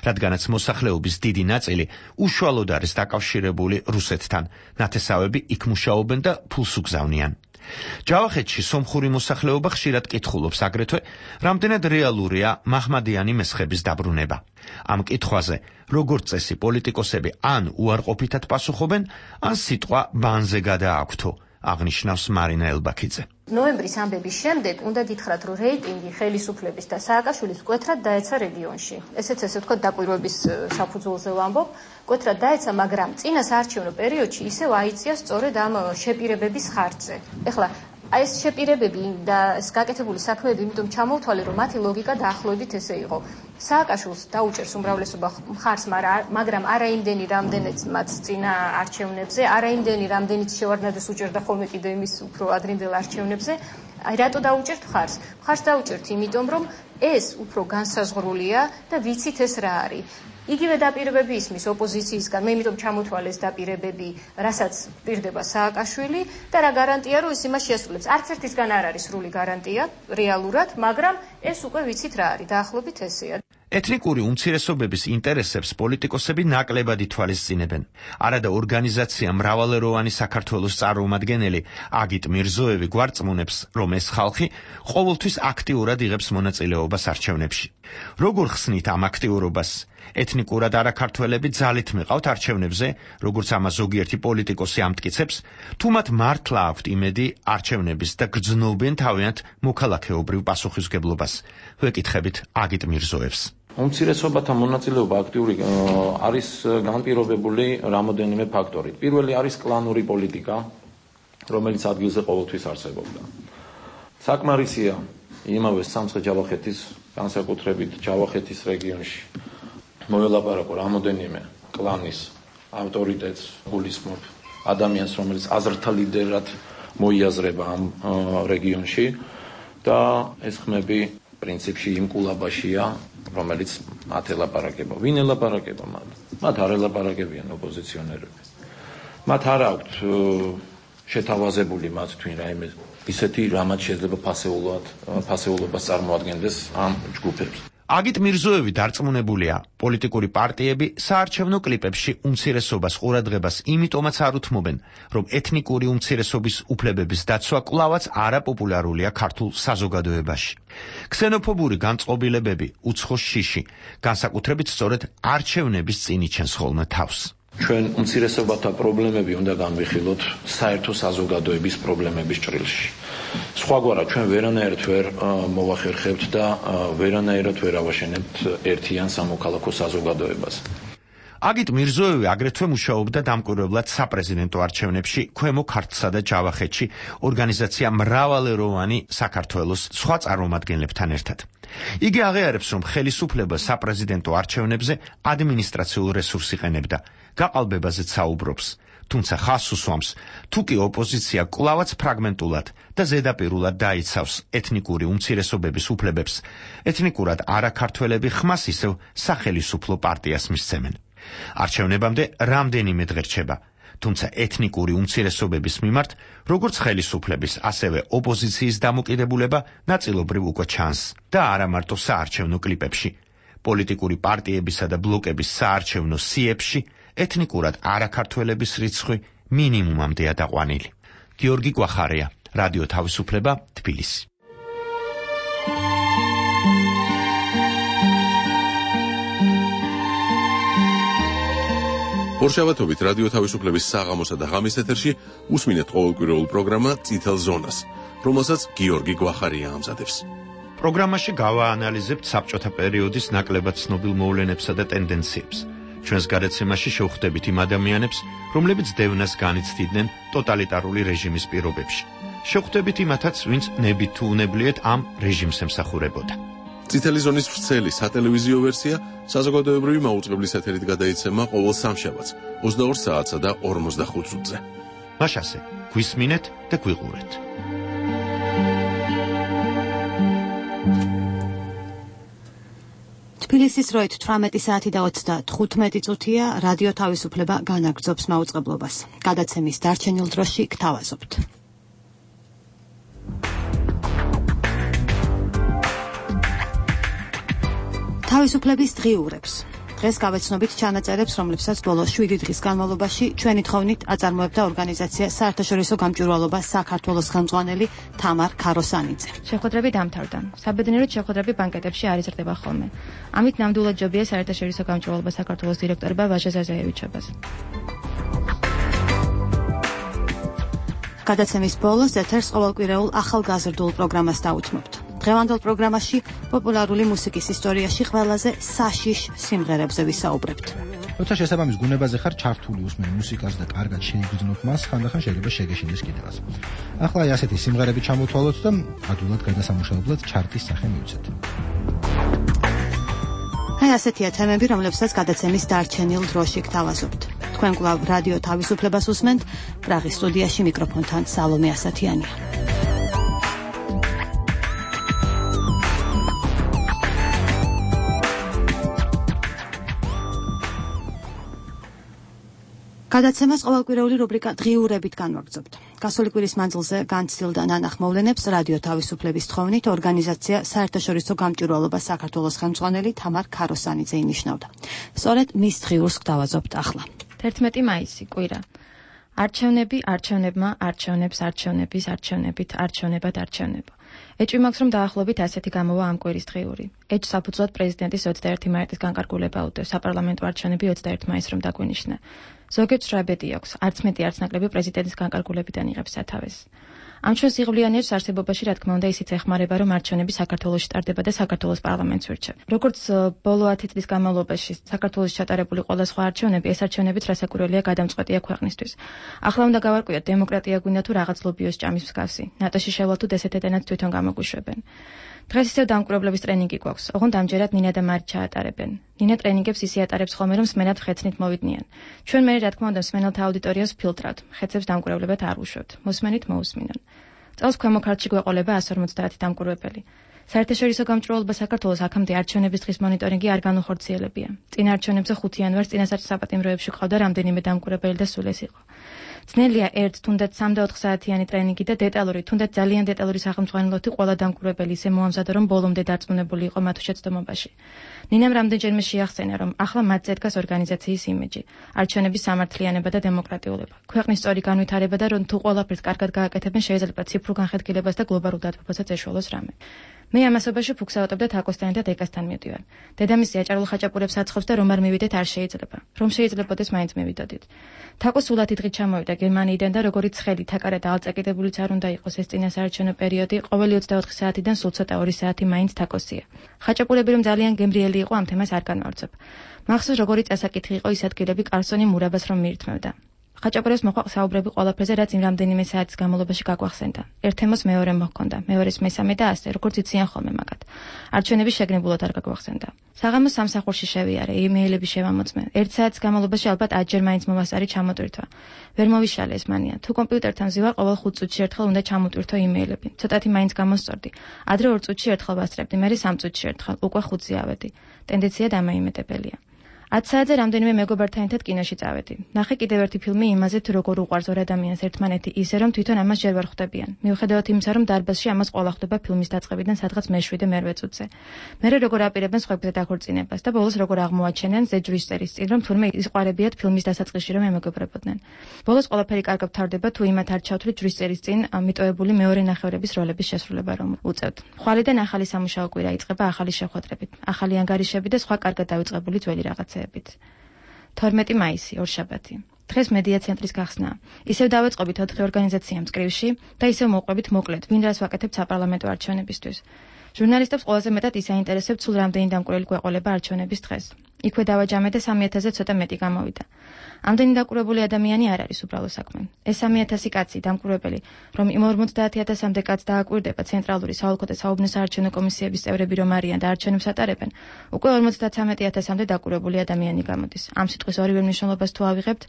რადგანაც მოსახლეობის დიდი ნაწილი უშუალოდ არის დაკავშირებული რუსეთთან, ნათესავები იქ მუშაობენ და ფულს უგზავნიან. ჯავახეთში სომხური მოსახლეობა ხშირად კითხულობს აგრეთვე, რამდენად რეალურია მაჰმადიანი მესხების დაბრუნება. ამ კითხვაზე, როგორც წესი პოლიტიკოსები ან უარყოფითად პასუხობენ, ან სიტყვა ბანზე გადააქვთო, აღნიშნავს მარინა ელბაქიძე. ნოემბრის ამბების შემდეგ უნდა გითხრათ, რომ რეიტინგი ხელისუფლების და სააკაშვილის მკვეთრად დაეცა რეგიონში. ესეც ესე ვთქვათ, დაკვირვების საფუძველზე ვამბობ, მკვეთრად დაეცა, მაგრამ წინა საარჩევნო პერიოდში ისევ აიწია სწორედ ამ შეპირებების ხარჯზე. ეხლა ეს შეპირებები და ეს გაკეთებული საქმეები იმიტომ ჩამოვთვალე, რომ მათი ლოგიკა დაახლოებით ესე იყო. სააკაშვილს დაუჭერს უმრავლესობა მხარს, მაგრამ არაიმდენი რამდენიც მათ წინა არჩევნებზე, არაიმდენი რამდენიც შევარდნაძეს უჭერდა ხოლმე კიდე იმის უფრო ადრინდელ არჩევნებზე. რატო დაუჭერთ მხარს? მხარს დაუჭერთ იმიტომ, რომ ეს უფრო განსაზღვრულია და ვიცით ეს რა არის. იგივე დაპირებები ისმის ოპოზიციისგან, მე იმიტომ ჩამოთვალე ეს დაპირებები, რასაც პირდება სააკაშვილი და რა გარანტია, რომ ის იმას შეასრულებს. არც ერთისგან არ არის სრული გარანტია რეალურად, მაგრამ ეს უკვე ვიცით რა არის, დაახლოებით ესეა. ეთნიკური უმცირესობების ინტერესებს პოლიტიკოსები ნაკლებად ითვალისწინებენ. არადა ორგანიზაცია მრავალეროვანი საქართველოს წარმომადგენელი აგიტ მირზოევი გვარწმუნებს, რომ ეს ხალხი ყოველთვის აქტიურად იღებს მონაწილეობას არჩევნებში. როგორ ხსნით ამ აქტიურობას? ეთნიკურად არაქართველები ძალით მიყავთ არჩევნებზე, როგორც ამას ზოგიერთი პოლიტიკოსი ამტკიცებს, თუ მათ მართლა აქვთ იმედი არჩევნების და გრძნობენ თავიანთ მოქალაქეობრივ პასუხისმგებლობას. ვეკითხებით აგიტ მირზოევს. უმცირესობათა მონაწილეობა აქტიური არის განპირობებული რამოდენიმე ფაქტორით. პირველი არის კლანური პოლიტიკა, რომელიც ადგილზე ყოველთვის არსებობდა. საკმარისია იმავე სამცხე-ჯავახეთის, განსაკუთრებით ჯავახეთის რეგიონში მოელაპარაკო რამოდენიმე კლანის ავტორიტეტს გულისხმობ ადამიანს, რომელიც აზრთა ლიდერად მოიაზრება ამ რეგიონში და ეს ხმები პრინციპში იმ კულაბაშია, რომელიც მათ ელაპარაკება. ვინ ელაპარაკება მათ? მათ არ ელაპარაკებიან ოპოზიციონერები. მათ არ აქვთ შეთავაზებული მათთვის რაიმე ისეთი, რამაც შეიძლება ფასეულობას წარმოადგენდეს ამ ჯგუფებს. აგიტ მირზოევი დარწმუნებულია, პოლიტიკური პარტიები საარჩევნო კლიპებში უმცირესობას ყურადღებას იმიტომაც არ უთმობენ, რომ ეთნიკური უმცირესობის უფლებების დაცვა კვლავაც არაპოპულარულია ქართულ საზოგადოებაში. ქსენოფობური განწყობილებები უცხოს შიში, განსაკუთრებით სწორედ არჩევნების წინ იჩენს ხოლმე თავს. ჩვენ უმცირესობათა პრობლემები უნდა განვიხილოთ საერთო საზოგადოების პრობლემების ჭრილში. სხვაგვარად ჩვენ ვერანაირად ვერ მოვახერხებთ და ვერანაირად ვერ ავაშენებთ ერთიან სამოქალაქო საზოგადოებას. აგიტ მირზოევი აგრეთვე მუშაობდა დამკვირვებლად საპრეზიდენტო არჩევნებში ქვემო ქართლსა და ჯავახეთში ორგანიზაცია მრავალეროვანი საქართველოს სხვა წარმომადგენლებთან ერთად. იგი აღიარებს, რომ ხელისუფლება საპრეზიდენტო არჩევნებზე ადმინისტრაციულ რესურსს იყენებდა, გაყალბებაზეც საუბრობს. თუმცა ხაზს უსვამს, თუ კი ოპოზიცია კვლავაც ფრაგმენტულად და ზედაპირულად დაიცავს ეთნიკური უმცირესობების უფლებებს, ეთნიკურად არაქართველები ხმას ისევ სახელისუფლო პარტიას მისცემენ. არჩევნებამდე რამდენიმე დღე რჩება, თუმცა ეთნიკური უმცირესობების მიმართ, როგორც ხელისუფლების, ასევე ოპოზიციის დამოკიდებულება ნაწილობრივ უკვე ჩანს და არა მარტო საარჩევნო კლიპებში. პოლიტიკური პარტიებისა და ბლოკების საარჩევნო სიებში ეთნიკურად არაქართველების რიცხვი მინიმუმამდეა დაყვანილი. გიორგი გვახარია, რადიო თავისუფლება, თბილისი. ორშაბათობით რადიო თავისუფლების საღამოსა და ღამის ეთერში უსმინეთ ყოველკვირეულ პროგრამა წითელ ზონას, რომელსაც გიორგი გვახარია ამზადებს. პროგრამაში გავაანალიზებთ საბჭოთა პერიოდის ნაკლებად ცნობილ მოვლენებსა და ტენდენციებს. ჩვენს გადაცემაში შევხვდებით იმ ადამიანებს, რომლებიც დევნას განიცდიდნენ ტოტალიტარული რეჟიმის პირობებში. შევხვდებით იმათაც, ვინც ნებით თუ უნებლიეთ ამ რეჟიმს ემსახურებოდა. წითელი ზონის ვრცელი სატელევიზიო ვერსია საზოგადოებრივი მაუწყებლის ეთერით გადაიცემა ყოველ სამშაბათს 22 საათსა და 45 წუთზე. მაშასე გვისმინეთ და გვიყურეთ. თბილისის დროით 18 საათი და 35 წუთია, რადიო თავისუფლება განაგრძობს მაუწყებლობას. გადაცემის დარჩენილ დროში გთავაზობთ. თავისუფლების დღიურებს. დღეს გავეცნობით ჩანაწერებს, რომლებსაც ბოლო 7 დღის განმავლობაში ჩვენი თხოვნით აწარმოებდა ორგანიზაცია საერთაშორისო გამჭვირვალობა საქართველოს ხელმძღვანელი თამარ ქაროსანიძე. შეხვედრები დამთავრდა. საბედნიეროდ შეხვედრები ბანკეტებში არ იზრდება ხოლმე. ამით ნამდვილად ჯობია საერთაშორისო გამჭვირვალობა საქართველოს დირექტორმა ვაჟა ზაზაევიჩებას. გადაცემის ბოლოს ეთერს ყოველკვირეულ ახალგაზრდულ პროგრამას დაუთმობთ. დღევანდელ პროგრამაში პოპულარული მუსიკის ისტორიაში ყველაზე საშიშ სიმღერებზე ვისაუბრებთ. როცა შესაბამის გუნებაზე ხარ ჩართული უსმენ მუსიკას და კარგად შეიგრძნოთ მას, ხანდახან შეიძლება შეგეშინდეს კიდევაც. ახლა აი ასეთი სიმღერები ჩამოთვალოთ და ადვილად გადასამუშავებლად ჩარტის სახე მივცეთ. აი ასეთია თემები, რომლებსაც გადაცემის დარჩენილ დროში გთავაზობთ. თქვენ კვლავ რადიო თავისუფლებას უსმენთ, პრაღის სტუდიაში მიკროფონთან სალომე ასათიანია. გადაცემას ყოველკვირეული რუბრიკა დღიურებით განვაგრძობთ. გასული კვირის მანძილზე განცდილდა ნანახ მოვლენებს რადიო თავისუფლების თხოვნით ორგანიზაცია საერთაშორისო გამჭვირვალობა საქართველოს ხელმძღვანელი თამარ ქაროსანიძე ინიშნავდა. სწორედ მის დღიურს გთავაზობთ ახლა. 11 მაისი, კვირა. არჩევნები, არჩევნებმა, არჩევნებს, არჩევნების, არჩევნებით, არჩევნებად, არჩევნება. ეჭვი მაქვს, რომ დაახლოებით ასეთი გამოვა ამ კვირის დღიური. ეჭვს საფუძვლად პრეზიდენტის 21 მაისის განკარგულება უდევს, საპარლამენტო არჩევნები 21 მაისს რომ დაგვინიშნა. ზოგიერთს რა ბედი აქვს, არც მეტი არც ნაკლები პრეზიდენტის განკარგულებიდან იღებს სათავეს. ამ ჩვენს იღბლიანიერს არსებობაში რა თქმა უნდა ისიც ეხმარება, რომ არჩევნები საქართველოში ტარდება და საქართველოს პარლამენტს ვირჩევ. როგორც ბოლო 10 წლის განმავლობაში საქართველოში ჩატარებული ყველა სხვა არჩევნები, ეს არჩევნებიც რასაკვირველია გადამწყვეტია ქვეყნისთვის. ახლა უნდა გავარკვიოთ, დემოკრატია გვინდა თუ რაღაც ლობიოს ჭამის მსგავსი. ნატოში შევალთოთ ესეთ ეტენაც თვითონ გამოგვიშვებენ. დღეს ისევ დამკვირვებლების ტრენინგი გვაქვს. ოღონდ ამჯერად ნინა და მარი ჩაატარებენ. ნინა ტრენინგებს ისე ატარებს ხოლმე, რომ მსმენად ხეცნით მოვიდნენ. ჩვენ მე რა თქმა უნდა მსმენელთა აუდიტორიას ფილტრავთ. ხეცებს დამკვირვებლებად არ უშვებთ. მოსმენით მოусმინონ. წელს ქვემო ქართლში გვეყოლება 150 დამკვირვებელი. საერთაშორისო გამჭვირვალობა საქართველოს აქამდე არჩევნების დღის მონიტორინგი არ განუხორციელებია. წინა არჩევნებზე 5 იანვარს წინასწარ საპატიმროებში ყავდა რამდენიმე დამკვირვებელი და სულ ეს იყო. ძნელია ერთ თუნდაც 3 და 4 საათიანი ტრენინგი და დეტალური, თუნდაც ძალიან დეტალური სახელმძღვანელოთი ყველა დამკვირვებელი ისე მოამზადა, რომ ბოლომდე დარწმუნებული იყო მათ შეცდომობაში. ნინამ რამდენჯერმე შეახსენა, რომ ახლა მათ ზედგას ორგანიზაციის იმიჯი, არჩევნების სამართლიანობა და დემოკრატიულობა, ქვეყნის სწორი განვითარება და რომ თუ ყველაფერს კარგად გააკეთებენ, შეიძლება ციფრულ განხეთქილებას და გლობალურ დათბობასაც ეშველოს რამე. მე ამასობაში ფუქსაავტებ და თაკოსთან და დეკასთან მივდივარ. დედამისი აჭარულ ხაჭაპურებს აცხობს და რომ არ მივიდეთ არ შეიძლება. რომ შეიძლებოდეს მაინც მივიდოდით. თაკო სულათი დღით ჩამოვიდა გერმანიიდან და როგორც ცხელი თაკარა და ალწაკიდებულიც არ უნდა იყოს ეს წინასაარჩევნო პერიოდი, ყოველი 24 საათიდან სულ ცოტა 2 საათი მაინც თაკოსია. ხაჭაპურები რომ ძალიან გემრიელი იყო ამ თემას არ განვავრცობ. მახსოვს როგორი წასაკითხი იყო ის ადგილები კარსონი მურაბას რომ მიირთმევდა. ხაჭაპურიას მოყვა საუბრები ყველაფერზე, რაც იმ რამდენიმე საათის განმავლობაში გაგვახსენდა. ერთ თემას მეორე მოჰქონდა, მეორეს მესამე და ასე, როგორც იციან ხოლმე მაგათ. არჩევნების შეგნებულად არ გაგვახსენდა. საღამოს სამსახურში შევიარე, იმეილები შევამოწმე. 1 საათის განმავლობაში ალბათ 10 მაინც მომასარი ჩამოტვირთვა. ვერ მოვიშალე ეს მანია. თუ კომპიუტერთან მზივარ, ყოველ 5 წუთში ერთხელ უნდა ჩამოტვირთო იმეილები. ცოტათი მაინც გამოსწორდი. ადრე 2 წუთში ერთხელ ვასწრებდი, მერე 3 წუთში ერთხელ, უკვე 5-ზე ავედი. ტენდენცია დამაიმეტებელია. 10 საათზე რამდენიმე მეგობართან ერთად კინოში წავედი. ნახე კიდევ ერთი ფილმი იმაზე, თუ როგორ უყვარს ორ ადამიანს ერთმანეთი ისე, რომ თვითონ ამას ჯერ ვერ ხვდებიან. მიუხედავად იმისა, რომ დარბაზში ამას ყველა ხვდება ფილმის დაწყებიდან სადღაც მე-7 მე-8 წუთზე. მერე როგორ აპირებენ სხვებზე დაქორწინებას და ბოლოს როგორ აღმოაჩენენ ზეჯვრის წერის წინ, რომ თურმე ისყარებიათ ფილმის დასაწყისში რომ ემეგობრებოდნენ. ბოლოს ყველაფერი კარგად თავდება, თუ იმათ არ ჩავთვლით ჯვრის წერის წინ მიტოვებული მეორე ნახევრების როლების შესრულება რომ უწევთ. ხვალიდან ახალი სამუშაო კვირა იწყება ახალი შეხვედრებით, ახალი ანგარიშები და სხვა კარგად დავიწყებული ძველი რაღაცა. 12 მაისი, ორშაბათი. დღეს მედია ცენტრის გახსნა. ისევ დავეწყობით 4 ორგანიზაცია მწკრივში და ისევ მოვყვებით მოკლედ, ვინ რას ვაკეთებთ საპარლამენტო არჩევნებისთვის. ჟურნალისტებს ყველაზე მეტად ის აინტერესებთ, სულ რამდენი დამკვირვებელი გვეყოლება არჩევნების დღეს. იქვე დავაჯამე და 3000-ზე ცოტა მეტი გამოვიდა. ამდენი დაკვირვებული ადამიანი არ არის უბრალო საქმე. ეს 3000 კაცი დამკვირვებელი, რომ იმ 50000-მდე კაცს დააკვირდება ცენტრალური საოლქო და საუბნო საარჩევნო კომისიების წევრები რომ არიან და არჩევნებს ატარებენ, უკვე 53000-მდე დაკვირვებული ადამიანი გამოდის. ამ სიტყვის ორივე მნიშვნელობას თუ ავიღებთ,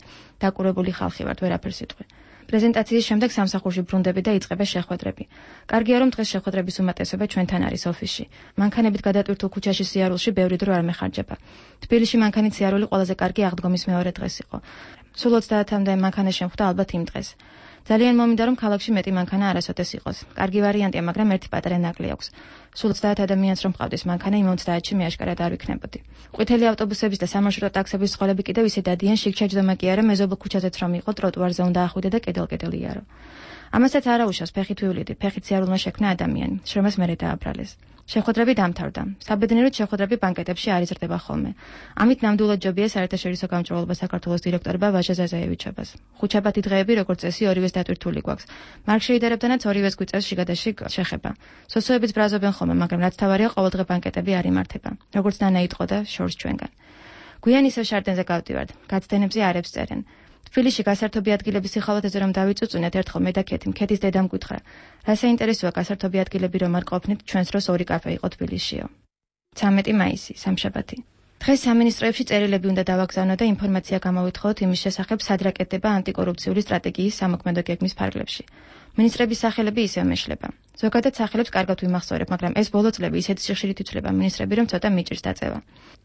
დაკვირვებული ხალხი ვართ, ვერაფერს იტყვი. პრეზენტაციის შემდეგ სამსახურში ბრუნდები და იწყება შეხვედრები. კარგია რომ დღეს შეხვედრების უმეტესობა ჩვენთან არის ოფისში. მანქანებით გადატვირთულ ქუჩაში სიარულში ბევრი დრო არ მეხარჯება. თბილისში მანქანით სიარული ყველაზე კარგი აღდგომის მეორე დღეს იყო. სულ 30-მდე მანქანა შემხვდა ალბათ იმ დღეს. ძალიან მომინდა რომ ქალაქში მეტი მანქანა არასოდეს იყოს. კარგი ვარიანტია, მაგრამ ერთი პატარა ნაკლი აქვს. სულ 30 ადამიანს რომ ყავდეს მანქანა, იმ 30-ში მე აშკარად არ ვიქნებოდი. ყვითელი ავტობუსების და სამარშრუტო ტაქსების წყალები კიდევ ისე დადიან, შიგ-ჩაჯდომა კი არა, მეზობლ ქუჩაზეც რომ იყო, ტროტუარზე უნდა ახვიდე და კედელ-კედელ იარო. ამასაც არ აუშავს ფეხით ვივლიდი, ფეხით სიარულმა შექმნა ადამიანი, შრომას მერე დააბრალეს. შეხვედრები დამთავრდა. საბედნიეროდ შეხვედრები ბანკეტებში არ იზრდება ხოლმე. ამით ნამდვილად ჯობია საერთაშორისო გამჭვირვალობა საქართველოს დირექტორმა ვაჟა ზაზაევიჩებას. ხუთშაბათი დღეები როგორც წესი ორივეს დატვირთული გვაქვს. მარკ შეიდერებდანაც ორივეს გვიწევს შიგადაშიგ შეხება. სოციოებიც ბრაზობენ ხოლმე, მაგრამ რაც თავარია, ყოველდღე ბანკეტები არ იმართება. როგორც ნანა იტყო და შორს ჩვენგან. გვიან ისევ შარდენზე გავდივართ. გაცდენებზე არებს წერენ. თბილისში გასართობი ადგილების სიხალოთეზე რომ დავიწუწუნეთ ერთხელ მე და ქეთი, ქეთის დედამ გითხრა. რა საინტერესოა გასართობი ადგილები რომ არ ყოფნით, ჩვენს დროს 2 კაფე იყო თბილისშიო. 13 მაისი, სამშაბათი. დღეს სამინისტროებში წერილები უნდა დავაგზავნო და ინფორმაცია გამოვითხოვოთ იმის შესახებ, სად რაკეტდება ანტიკორუფციული სტრატეგიის სამოქმედო გეგმის ფარგლებში. მინისტრების სახელები ისევ მეშლება. ზოგადად სახელებს კარგად ვიმახსოვრებ, მაგრამ ეს ბოლო წლები ისეთი სიხშირით იცვლება მინისტრები, რომ ცოტა მიჭირს დაწევა.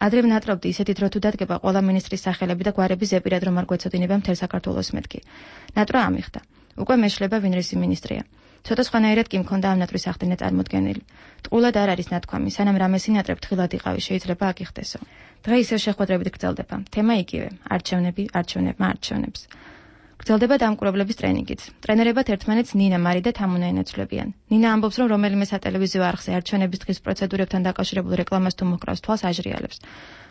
ადრე ვნატრობდი ისეთი დრო თუ დადგება ყველა მინისტრის სახელები და გვარები ზეპირად რომ არ გვეცოდინება მთელ საქართველოს მეთქი. ნატრო ამიხდა. უკვე მეშლება ვინ რისი მინისტრია. ცოტა სხვანაირად კი მქონდა ამ ნატრის ახდენა წარმოდგენილი. ტყუილად არ არის ნათქვამი, სანამ რამეს ინატრებ თხილად იყავი, შეიძლება აქ იხდესო. დღე ისევ შეხვედრებით გრძელდება. თემა იგივე: არჩევნები, არჩევნებმა არჩევნებს. გრძელდება დამკვირვებლების ტრენინგიც. ტრენერებად ერთმანეთს ნინა, მარი და თამუნა ენაცვლებიან. ნინა ამბობს, რომ რომელიმე სატელევიზიო არხზე არჩევნების დღის პროცედურებთან დაკავშირებულ რეკლამას თუ მოჰკრავს თვალს აჟრიალებს.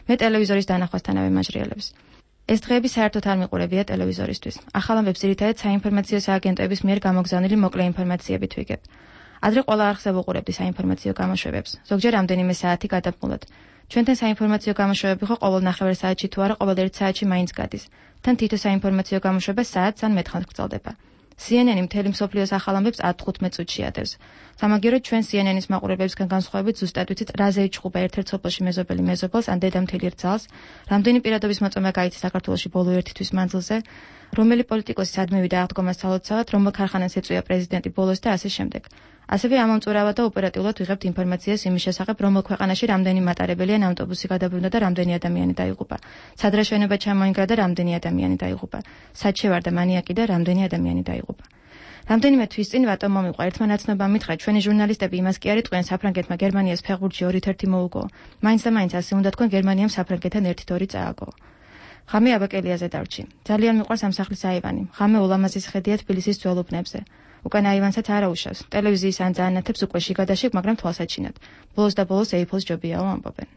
მე ტელევიზორის დანახვასთანავე მაჟრიალებს. ეს დღეები საერთოდ არ მიყურებია ტელევიზორისთვის. ახალ ამბებს ძირითადად საინფორმაციო სააგენტოების მიერ გამოგზავნილი მოკლე ინფორმაციებით ვიგებ. ადრე ყველა არხზე ვუყურებდი საინფორმაციო გამოშვებებს, ზოგჯერ რამდენიმე საათი გადამყულად. ჩვენთან საინფორმაციო გამოშვებები ხო ყოველ ნახევარ საათში თუ არა ყოველ 1 საათში მაინც გადის. თან თითო საინფორმაციო გამოშვება საათს ან მეტხანს გრძელდება. CNN-ი მთელი მსოფლიოს ახალ ამბებს 10-15 წუთში ადევს. სამაგიეროდ ჩვენ CNN-ის მაყურებლებისგან განსხვავებით ზუსტად ვიცით, რაზე იჩხუბა ერთ-ერთ სოფელში მეზობელი მეზობელს ან დედა მთელი რძალს, რამდენი პირადობის მოწომა გაიცი საქართველოში ბოლო 1 თვის მანძილზე, რომელი პოლიტიკოსი სად მივიდა აღდგომას ცალოცავად, რომელ ქარხანას ეწვია პრეზიდენტი ბოლოს და ასე შემდეგ. ასევე ამომწურავად და ოპერატიულად ვიღებთ ინფორმაციას იმის შესახებ, რომელ ქვეყანაში რამდენი მატარებელიან ავტობუსი გადაბრუნდა და რამდენი ადამიანი დაიღუპა. სად რა შენობა ჩამოინგრა და რამდენი ადამიანი დაიღუპა. სად შევარდა მანიაკი და რამდენი ადამიანი დაიღუპა. რამდენიმე თვის წინ ვატომ მომიყვა ერთმა ნაცნობამ მითხრა, ჩვენი ჟურნალისტები იმას კი არ იტყვიან, საფრანგეთმა გერმანიას ფეხბურთში 2-1 მოუგო. მაინც და მაინც ასე უნდა თქვენ, გერმანიამ საფრანგეთთან 1-2 წააგო. ღამე აბაკელიაზე დარჩი. ძალიან მიყვარს ამ სახლის აივანი. ღამე ულამაზის ხედია თბილისის ძველ უბნებზე. უკან აივანსაც არ აუშავს. ტელევიზიის ან ძაანათებს უკვე შიგადაშიგ, მაგრამ თვალსაჩინოდ. ბოლოს და ბოლოს ეიფელს ჯობიაო ამბობენ.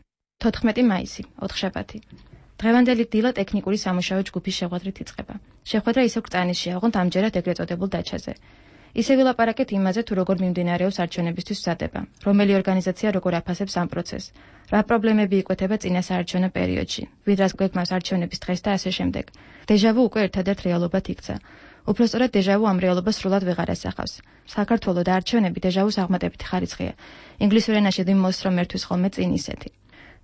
14 მაისი, ოთხშაბათი. დღევანდელი დილა ტექნიკური სამუშაო ჯგუფის შეხვედრით იწყება. შეხვედრა ისევ კრწანისშია, ოღონდ ამჯერად ეგრეთ წოდებულ დაჩაზე. ისე ვილაპარაკეთ იმაზე, თუ როგორ მიმდინარეობს არჩევნებისთვის მზადება, რომელი ორგანიზაცია როგორ აფასებს ამ პროცესს, რა პრობლემები იკვეთება წინა საარჩევნო პერიოდში, ვიდრას გვეგმავს არჩევნების დღეს და ასე შემდეგ. დეჟავუ უკვე ერთადერთ რეალობად იქცა. უпростоრად დეჟავუ ამ რეალობას სრულად ვეღარ ასახავს. საქართველოს და არჩევნები დეჟავუს აღმატებითი ხარისხია. ინგლისურ ენაში the most რომ ერთვის ხოლმე წინ ისეთი.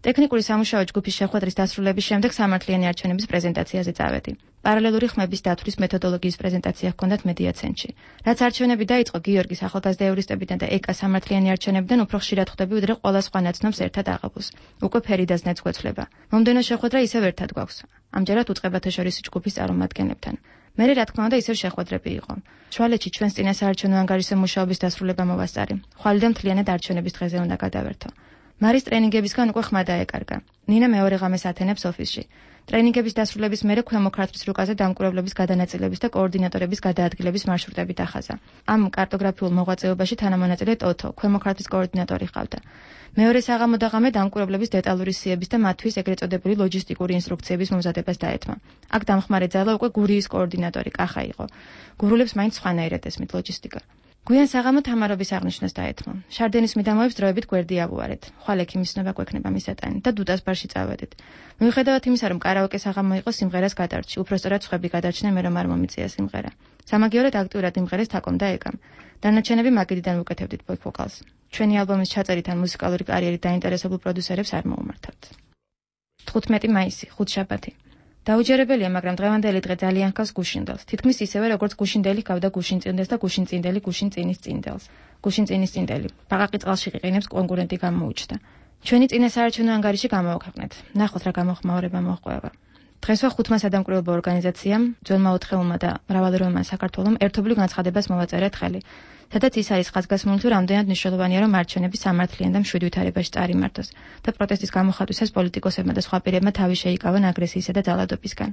ტექნიკური სამუშაო ჯგუფის შეხვედრის დასრულების შემდეგ სამართლიანი არჩევნების პრეზენტაციაზე წავედი. პარალელური ხმების დათვლის მეთოდოლოგიის პრეზენტაცია ჰქონდათ მედია ცენტრში. რაც არჩევნები დაიწყო გიორგის ახალგაზრდა ევრისტებიდან და ეკა სამართლიანი არჩევნებიდან უფრო ხშირად ხვდები, ვიდრე ყველა სხვა ნაცნობს ერთად აღებულს. უკვე ფერიდაზნეც გვეცვლება. მომდევნო შეხვედრა ისევ ერთად გვაქვს. ამჯერად უწყებათა შორის ჯგუფის წარმომადგენლებთან. მე რა თქმა უნდა ისევ შეხვედრები იყო. შუალედში ჩვენს წინა საარჩევნო ანგარიშზე მუშაობის დასრულება მოვასწარი. ხვალიდან მთლიანად არჩევნების დღეზე უნდა გადავერთო. მარის ტრენინგებისგან უკვე ხმა დაეკარგა. ნინა მეორე ღამეს ათენებს ოფისში. ტრენინგების დასრულების მერე ქვემო ქართლის რუკაზე დამკვირვებლების გადანაწილების და კოორდინატორების გადაადგილების მარშრუტები დახაზა. ამ კარტოგრაფიულ მოღვაწეობაში თანამონაწილე ტოთო, ქვემო ქართლის კოორდინატორი ყავდა. მეორე საღამო და ღამე დამკვირვებლების დეტალური სიების და მათთვის ეგრეთ წოდებული ლოჯისტიკური ინსტრუქციების მომზადებას დაეთმა. აქ დამხმარე ძალა უკვე გურიის კოორდინატორი კახა იყო. გურულებს მაინც სხვანაირად ესმით ლოჯისტიკა. გვიან საღამო თამარობის აღნიშვნას დაეთმო. შარდენის მიდამოებს დროებით გვერდი ავუარეთ. ხვალ ექიმისნობა გვექნება მისატანი და დუდას ბარში წავედით. მიუხედავად იმისა, რომ კარაოკე საღამო იყო, სიმღერას გადარჩი. უпростоრად სხვები გადარჩნენ, მე რომ არ მომიწია სიმღერა. სამაგიეროდ აქტიურად იმღერეს თაკომ და ეკამ. დანარჩენები მაგიდიდან ვუკეთებდით ბოქ-ვოკალს. ჩვენი ალბომის ჩაწერით ან მუსიკალური კარიერით დაინტერესებულ პროდიუსერებს არ მოუმართავთ. 15 მაისი, ხუთშაბათი. დაუჯერებელია, მაგრამ დღევანდელი დღე ძალიან ჰგავს გუშინდელს. თითქმის ისევე, როგორც გუშინდელი ჰგავდა გუშინწინდელს და გუშინწინდელი გუშინწინის წინდელს. გუშინწინის წინდელი. ბაყაყი წყალში ყიყინებს კონკურენტი გამოუჩნდა. ჩვენი წინა საარჩევნო ანგარიში გამოვაქვეყნეთ. ნახოთ რა გამოხმაურება მოჰყვება. დღესვე 5 სადამკვირვებლო ორგანიზაციამ, ძველმა ოთხეულმა და მრავალეროვანმა საქართველომ ერთობლივ განცხადებას მოვაწერეთ ხელი. სადაც ის არის ხაზგასმული, თუ რამდენად მნიშვნელოვანია, რომ არჩევნები სამართლიან და მშვიდ ვითარებაში წარიმართოს და პროტესტის გამოხატვისას პოლიტიკოსებმა და სხვა პირებმა თავი შეიკავონ აგრესიისა და ძალადობისგან.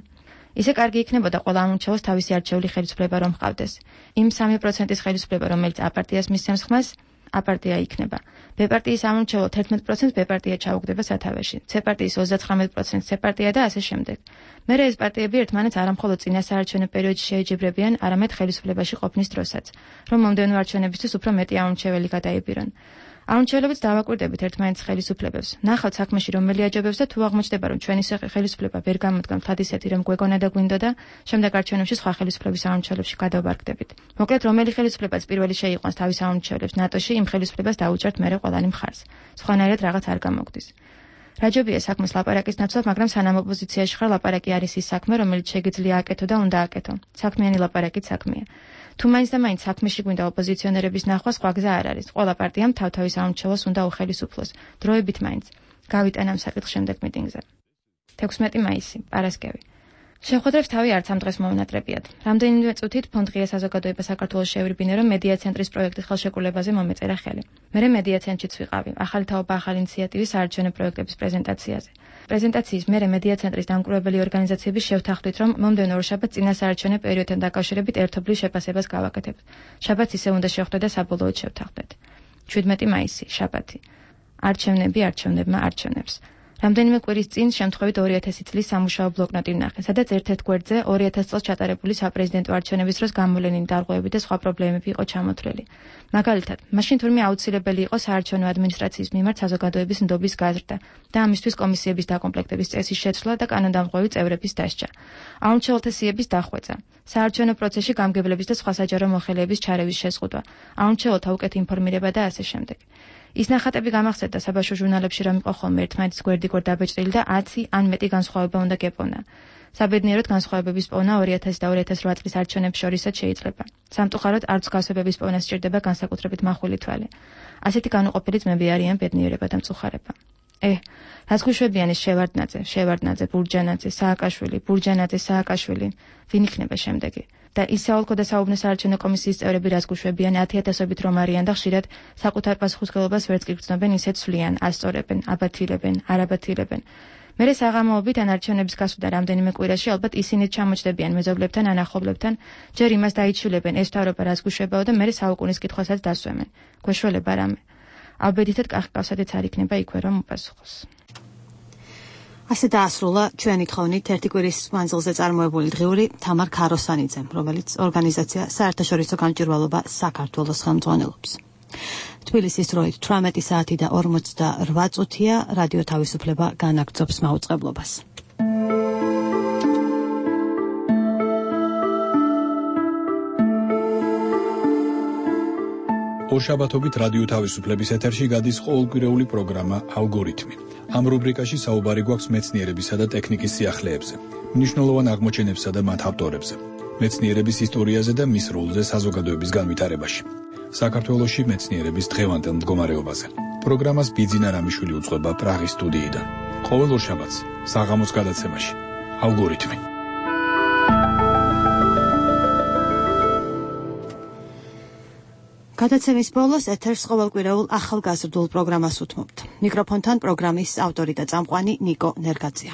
ისე კარგი იქნებოდა ყველა ამორჩეულს თავისი არჩეული ხელისუფლება რომ ჰყავდეს. იმ 3%-ის ხელისუფლება, რომელიც აპარტიას მისცემს ხმას, აპარტია იქნება. ბ-პარტიის ამორჩეულო 11% ბ-პარტია ჩაუგდება სათავეში. C-პარტიის 39% C-პარტია და ასე შემდეგ. მერე ეს პარტიები ერთმანეთს არამხოლოდ წინა საარჩევნო პერიოდში შეეჯიბრებიან, არამედ ხელისუფლებაში ყოფნის დროსაც, რომ მომდევნო არჩევნებისთვის უფრო მეტი ამორჩეველი გადაიბირონ. არჩევნებიც დავაკვირდებით ერთმანეთის ხელისუფლებებს. ნახავთ საქმეში რომელი აჯობებს და თუ აღმოჩნდება, რომ ჩვენი ხელისუფლება ვერ გამოდგამთ თადისეთი, რომ გვეგონა და გვინდოდა, შემდეგ არჩევნებში სხვა ხელისუფლების არჩევნებში გადავარგდებით. მოკლედ, რომელი ხელისუფლებაც პირველი შეიყვანს თავის არჩევნებს ნატოში, იმ ხელისუფლებას დაუჭერთ მერე ყველანი მხარს. სხვანაირად რაღაც არ გამოგდის. რაჯობია საქმეს ლაპარაკის ნაცვლად, მაგრამ სანამ ოპოზიციაში ხარ, ლაპარაკი არის ის საქმე, რომელიც შეგიძლია აკეთო და უნდა აკეთო. საქმიანი ლაპარაკიც საქმეა. თუ მაინც და მაინც საქმეში გვინდა ოპოზიციონერების ნახვა, სხვა გზა არ არის. ყველა პარტიამ თავთავის არჩევნებს უნდა უხელისუფლოს. დროებით მაინც. გავიტან ამ საკითხს შემდეგ მიტინგზე. 16 მაისი, პარასკევი. შეხვედრებს თავი არც ამ დღეს მოუნატრებიათ. რამდენიმე წუთით ფონდ ღია საზოგადოება საქართველოს შეევრიბინა, რომ მედია ცენტრის პროექტის ხელშეკრულებაზე მომეწერა ხელი. მე მედია ცენტრშიც ვიყავი, ახალი თაობა ახალი ინიციატივის საარჩევნო პროექტების პრეზენტაციაზე. პრეზენტაციის მერე მედია ცენტრის დამკვირვებელი ორგანიზაციების შევთანხმდით, რომ მომდევნო ორშაბათს წინა საარჩევნო პერიოდთან დაკავშირებით ერთობლივ შეფასებას გავაკეთებთ. შაბათს ისე უნდა შევხვდეთ და საბოლოოდ შევთანხმდეთ. 17 მაისი, შაბათი. არჩევნები არჩევნებმა არჩევნებს. რამდენიმე კვირის წინ შემთხვევით 2000 წლის სამუშაო ბლოკნოტი ვნახე, სადაც ერთ-ერთ გვერდზე 2000 წელს ჩატარებული საპრეზიდენტო არჩევნების დროს გამოვლენილი დარღვევები და სხვა პრობლემები იყო ჩამოთვლილი. მაგალითად, მაშინ თურმე აუცილებელი იყო საარჩევნო ადმინისტრაციის მიმართ საზოგადოების ნდობის გაზრდა და ამისთვის კომისიების დაკომპლექტების წესის შეცვლა და კანონდამღვევი წევრების დასჯა. არჩეულთა სიების დახვეწა, საარჩევნო პროცესში გამგებლების და სხვა საჯარო მოხელეების ჩარევის შეზღუდვა, არჩეულთა უკეთ ინფორმირება და ასე შემდეგ. ის ნახატები გამახსენდა საბავშვო ჟურნალებში, რომ იყო ხოლმე ერთმანეთის გვერდ-გვერდ დაბეჭდილი და 10 ან მეტი განსხვავება უნდა გეპოვნა. საბედნიეროდ განსხვავებების პოვნა 2000 და 2008 წლის არჩევნებს შორისაც შეიძლება. სამწუხაროდ არც განსხვავებების პოვნა სჭირდება განსაკუთრებით מחვილი თვალი. ასეთი განუყოფელი ძმები არიან ბედნიერება და მწუხარება. რაც გვიშვებიან ის შევარდნაძე, ბურჯანაძე, სააკაშვილი, სააკაშვილი, ვინ იქნება შემდეგი? და ისაოლკო და საუბნო საარჩევნო კომისიის წევრები რაც გვიშვებიან 10,000-ობით რომ არიან და ხშირად საკუთარ პასუხისმგებლობას ვერც კი გრძნობენ, ისეთ სვლიან, ასწორებენ, აბათილებენ, არაბათილებენ. მერე საღამოობით ან არჩევნების გასვლიდან რამდენიმე კვირაში ალბათ ისინი ჩამოჭდებიან მეზობლებთან ან ახლობლებთან, ჯერ იმას დაიჩვილებენ ეს თავრობა რაც გვიშვებაო და მერე საუკუნის კითხვასაც დასვემენ. გვეშველება რამე. აბედითად კახკავსადიც არ იქნება იქვე რომ უპასუხოს. ასე დაასრულა ჩვენი თხოვნით ერთი კვირის მანძილზე წარმოებული დღიური თამარ ქაროსანიძემ, რომელიც ორგანიზაცია საერთაშორისო გამჭვირვალობა საქართველოს ხელმძღვანელობს. თბილისის დროით 18 საათი და 48 წუთია რადიო თავისუფლება განაგრძობს მაუწყებლობას. ორშაბათობით რადიო თავისუფლების ეთერში გადის ყოველკვირეული პროგრამა ალგორითმი. ამ რუბრიკაში საუბარი გვაქვს მეცნიერებისა და ტექნიკის სიახლეებზე, მნიშვნელოვან აღმოჩენებსა და მათ ავტორებზე, მეცნიერების ისტორიაზე და მის როლზე საზოგადოების განვითარებაში. საქართველოში მეცნიერების დღევანდელ მდგომარეობაზე. პროგრამას ბიძინა რამიშვილი უძღვება პრაღის სტუდიიდან. ყოველ ორშაბათს საღამოს გადაცემაში ალგორითმი. გადაცემის ბოლოს ეთერს ყოველკვირეულ ახალგაზრდულ პროგრამას უთმობთ. მიკროფონთან პროგრამის ავტორი და წამყვანი ნიკო ნერგაძია.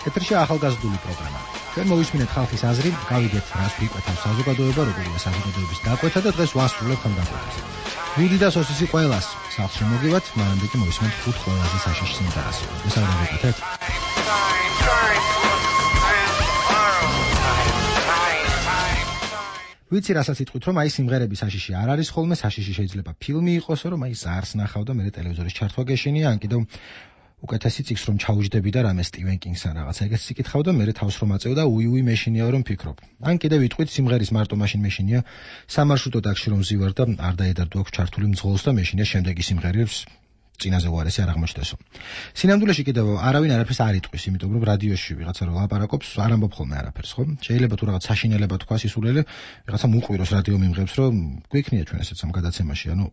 ეთერში ახალგაზრდული პროგრამა. ჩვენ მოვისმინეთ ხალხის აზრი, გავიგეთ რას ვიკვეთავს საზოგადოება, როგორია საზოგადოების დაკვეთა და დღეს ვასრულებთ ამ დაკვეთას. ვიდი და სოსისი ყველას სახლში მოგივათ, მანამდე კი მოვისმენთ 5 ყველაზე საშიში სიმღერას. ეს არ დავიკეთეთ. ვიცი რასაც იტყვით, რომ აი სიმღერების საშიში არ არის ხოლმე, საშიში შეიძლება ფილმი იყოსო, რომ აი ზარს ნახავ და მე ტელევიზორის ჩართვა გეშინია, ან კიდევ უკეთესი წიგს რომ ჩაუჯდები და რამე სტივენ კინგსთან რაღაცა ეგეც იკითხავ და მე თავს რომ აწევ და უი მეშინია რომ ფიქრობ. ან კიდევ ვიტყვით სიმღერის მარტო მაშინ მეშინია სამარშრუტო ტაქსში რომ ზივარ და არ დაედარდო აქვს ჩართული მძღოლს და მეშინია შემდეგი სიმღერებს წინაზე უარესი არ აღმოჩნდესო. სინამდვილეში კიდევ არავინ არაფერს არ იტყვის, იმიტომ რომ რადიოში ვიღაცა რომ ლაპარაკობს, არ ამბობ ხოლმე არაფერს, ხო? შეიძლება თუ რაღაც საშინელება თქვა სისულელე, ვიღაცა მოყვიროს რადიო მიმღებს, რომ გვიქნია ჩვენ ესეც ამ გადაცემაში, ანუ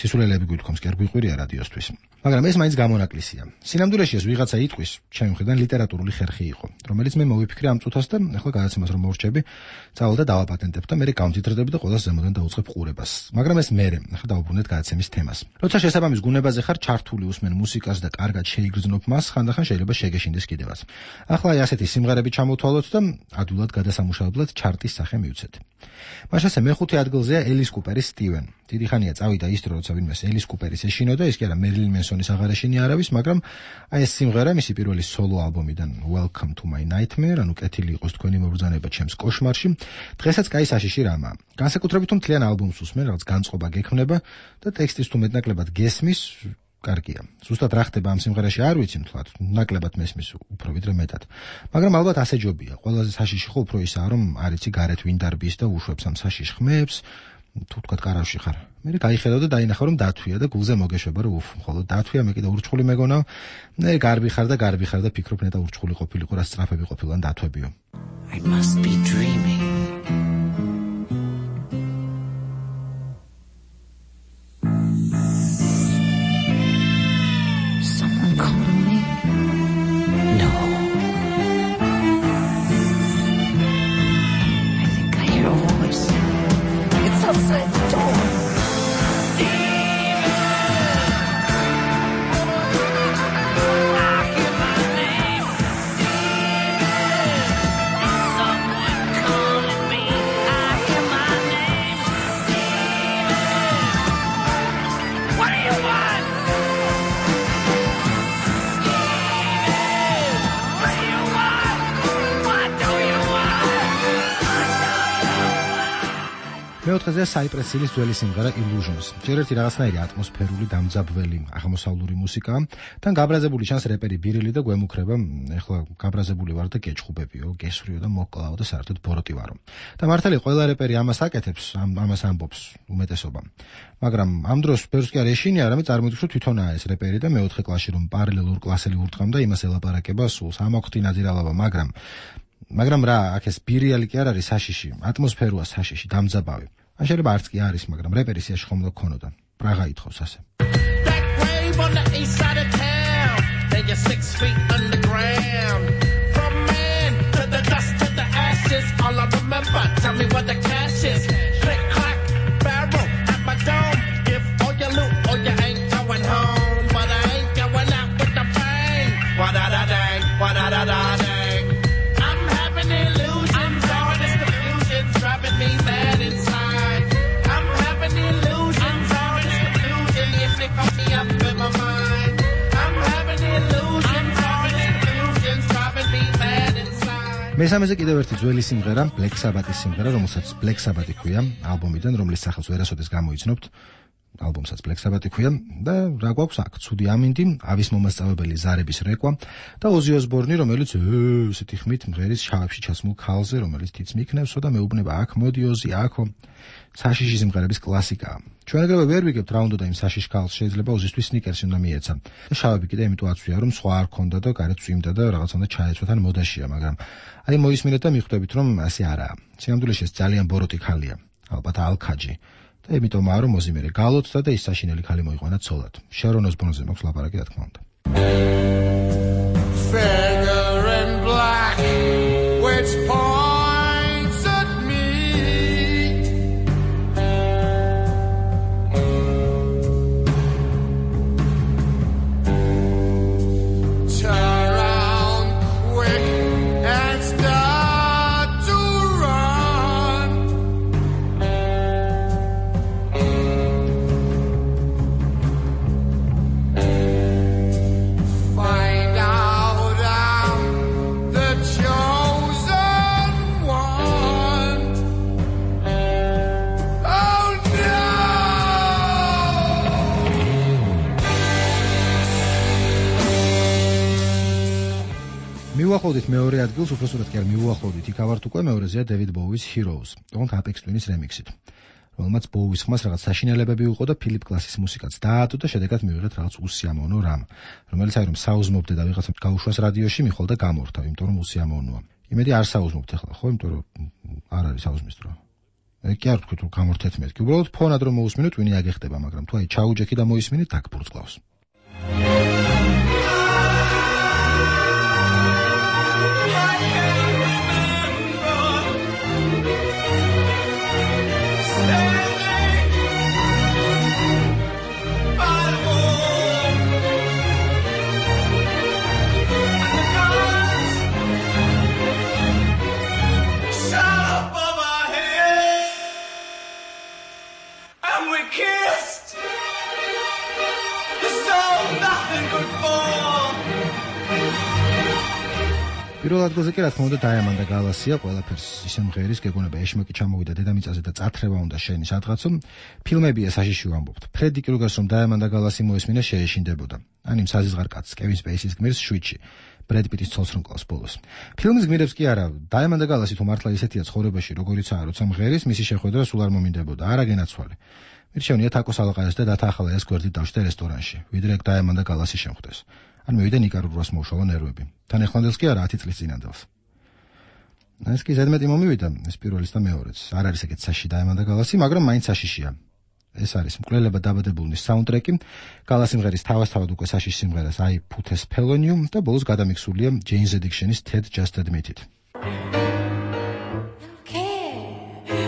სისულელეები გვითხოვს, კი არ გვიყვირია რადიოსთვის. მაგრამ ეს მაინც გამონაკლისია. სინამდვილეში ეს ვიღაცა იტყვის, ჩემი მხრიდან ლიტერატურული ხერხი იყო, რომელიც მე მოვიფიქრე ამ წუთას და ახლა გადაცემას რომ მოვრჩები, წავალ და დავაპატენტებ და მე გამძიდრდები და ყველას ზემოდან დავუწყებ ყურებას. მაგრამ ეს მე, ახლა დავუბრუნდეთ გადაცემის თემას. როცა შესაბამის გუნებაზე ხარ ჩართული უსმენ მუსიკას და კარგად შეიგრძნობ მას, ხანდახან შეიძლება შეგეშინდეს კიდევაც. ახლა აი ასეთი სიმღერები ჩამოვთვალოთ და ადვილად გადასამუშავებლად ჩარტის სახე მივცეთ. მაშასე მეხუთე ადგილზეა ელის კუპერის სტივენ. დიდი ხანია წავიდა ის დრო, როცა ვინმეს ელის კუპერის ეშინოდა, ის კი არა მერილინ მენსონის აღარ ეშინია არავის, მაგრამ აი ეს სიმღერა მისი პირველი სოლო ალბომიდან Welcome to my nightmare, ანუ კეთილი იყოს თქვენი მობრძანება ჩემს კოშმარში, დღესაც კაი საშიში რამაა. განსაკუთრებით თუ მთლიან ალბომს უსმენ, რაღაც განწყობა გექმნება და ტექსტის თუ მეტნაკლებად გესმის, კარგია. ზუსტად რა ხდება ამ სიმღერაში არ ვიცი მთლად, ნაკლებად მესმის უფრო ვიდრე მეტად. მაგრამ ალბათ ასე ჯობია. ყველაზე საშიში ხო უფრო ისაა, რომ არ იცი გარეთ ვინ დარბის და უშვებს ამ საშიშ ხმებს, თუ თქვათ კარავში ხარ. მე გაიხედავ და დაინახავ რომ დათვია და გულზე მოგეშვება რომ მხოლოდ დათვია, მე კიდე ურჩხული მეგონავ. მე გარბი ხარ და ფიქრობ ნეტა ურჩხული ყოფილიყო, რა სწრაფები ყოფილან დათვებიო. I must be dreaming. Someone calling me? No. I think I hear a voice. It's outside the door. მეოთხეზე საიპრესილის ძველი სიმღერა Illusions. ჯერ ერთი რაღაცნაირი ატმოსფერული დამძაბველი აღმოსავლური მუსიკა, თან გაბრაზებული ჩანს რეპერი ბირილი და გვემუქრება, ეხლა გაბრაზებული ვარ და გეჭხუბებიო, გესვრიო და მოკლავო და საერთოდ ბოროტი ვარო. და მართალი ყველა რეპერი ამას აკეთებს, ამას ამბობს უმეტესობა. მაგრამ ამ დროს ბევრს კი არ ეშინია, არამედ წარმოიდგინე რომ თვითონაა ეს რეპერი და მეოთხე კლასში რომ პარალელურ კლასელი ურტყამდა იმას ელაპარაკება სულს, ამოხტი ნაძირალობა, მაგრამ რა, აქ ეს ბირიალი კი არ არის საშიში, ატმოსფეროა საშიში, დამძაბავი. ან შეიძლება არც კი არის, მაგრამ რეპერის სიაში ხომ უნდა გქონოდა. პრაღა ითხოვს ასე. That wave on the east side of town, then you're 6 feet underground. From man to the dust to the ashes, all I remember, tell me what the cash is. Click, clack, barrel at my dome. Give all your loot or you ain't going home. But I ain't going out with the bang. Wa-da-da-dang, wa-da-da-da-dang. I'm having it მესამეზე კიდევ ერთი ძველი სიმღერა, Black Sabbath-ის სიმღერა, რომელსაც Black Sabbath ქვია, ალბომიდან, რომლის სახელს ვერასოდეს გამოიცნობთ. ალბომსაც Black Sabbath ქვია და რა გვაქვს აქ? ცუდი ამინდი, ავის მომასწავებელი ზარების რეკვა და Ozzy Osbourne, რომელიც ესეთი ხმით მღერის შავებში ჩასმულ ქალზე, რომელიც თიც მიქნევსო და მეუბნება აქ მოდი Ozzy, აქო. საშიში სიმღერების კლასიკაა. ჩვენ ეგრევე ვერ ვიგებთ რა უნდა და იმ საშიშ ქალს შეიძლება Ozzy-თვის სნიკერსი უნდა მიეცა. და შავები კიდე იმიტომ აცვია, რომ სხვა არ ქონდა და გარეთ წვიმდა და რაღაცა უნდა ჩაეცვა თან მოდაშია, მაგრამ აი მოისმინეთ და მიხვდებით, რომ ასე არაა. სინამდვილეში ეს ძალიან ბოროტი ქალია, ალბათ ალქაჯი. და იმიტომაა, რომ Ozzy მერე გალოცდა და ის საშინელი ქალი მოიყვანა ცოლად. Sharon Osbourne-ზე მაქვს ლაპარაკი, რა თქმა უნდა. Figure in black, which points at me. Turn around quick and start to run. Find out I'm the chosen one. Oh no! მივუახლოვდით მეორე ადგილს, უბრალოდ კი არ მივუახლოვდით, იქ ავართ უკვე მეორეზეა David Bowie-ს Heroes, თუმცა Apex Twin-ის რემიქსით. რომელმაც Bowie-ს ხმას რაღაც საშინელებები უყო და Philip Glass-ის მუსიკაც დაადო და შედეგად მივიღეთ რაღაც უსიამოვნო რამ, რომელიც აი რომ საუზმობდე და ვიღაცამ გაუშვას რადიოში, მიხვალ და გამორთავ, იმიტომ რომ უსიამოვნოა. იმედი არ საუზმობთ ახლა, ხო, იმიტომ რომ არ არის საუზმის დრო. კი არ ვთქვით რომ გამორთეთ მეთქი, უბრალოდ ფონად რომ მოусმინოთ, ვინი აგეხტება, მაგრამ თუ აი ჩაუჯექი და მოისმინეთ, დაგბურწყავს. პირველ ადგილზე კი რა თქმა უნდა Diamond Galaxy-ია, ყველაფერს ისე მღერის, გეგონება ეშმაკი ჩამოვიდა დედამიწაზე და წათრება უნდა შენი სადღაცო. ფილმებია საშიში ვამბობთ. Freddie Krueger-ს რომ Diamond Galaxy მოესმინა შეეშინდებოდა. ან იმ საზღარ კაცს, Kevin Spacey-ს გმირს შვიდში. Brad Pitt-ის ცოლს რომ კლავს ბოლოს. ფილმის გმირებს კი არა, Diamond Galaxy თუ მართლა ისეთია ცხოვრებაში, როგორიცაა, როცა მღერის, მისი შეხვედრა სულ არ მომინდებოდა, არა გენაცვალე. მირჩევნია თაკოს ალყაეს და დათაახალა ეს გვერდით დავშტე რესტორანში, ვიდრე ეგ Diamond Galaxy შემხვდეს. ან მივიდა ნიკარაგუას მოუშალა ნერვები. თან ეხლანდელს კი არა 10 წლის წინანდელს. ეს კი ზედმეტი მომივიდა, ეს პირველის და მეორეც. არ არის ეგეთ საში Diamond Galaxy, მაგრამ მაინც საშიშია. ეს არის მკვლელება დაბადებულნის საუნდტრეკი, Galaxy სიმღერის თავასთავად უკვე საშიშ სიმღერას I Put a Spell on You და ბოლოს გადამიქსულია Jane's Addiction-ის Ted Just Admit It.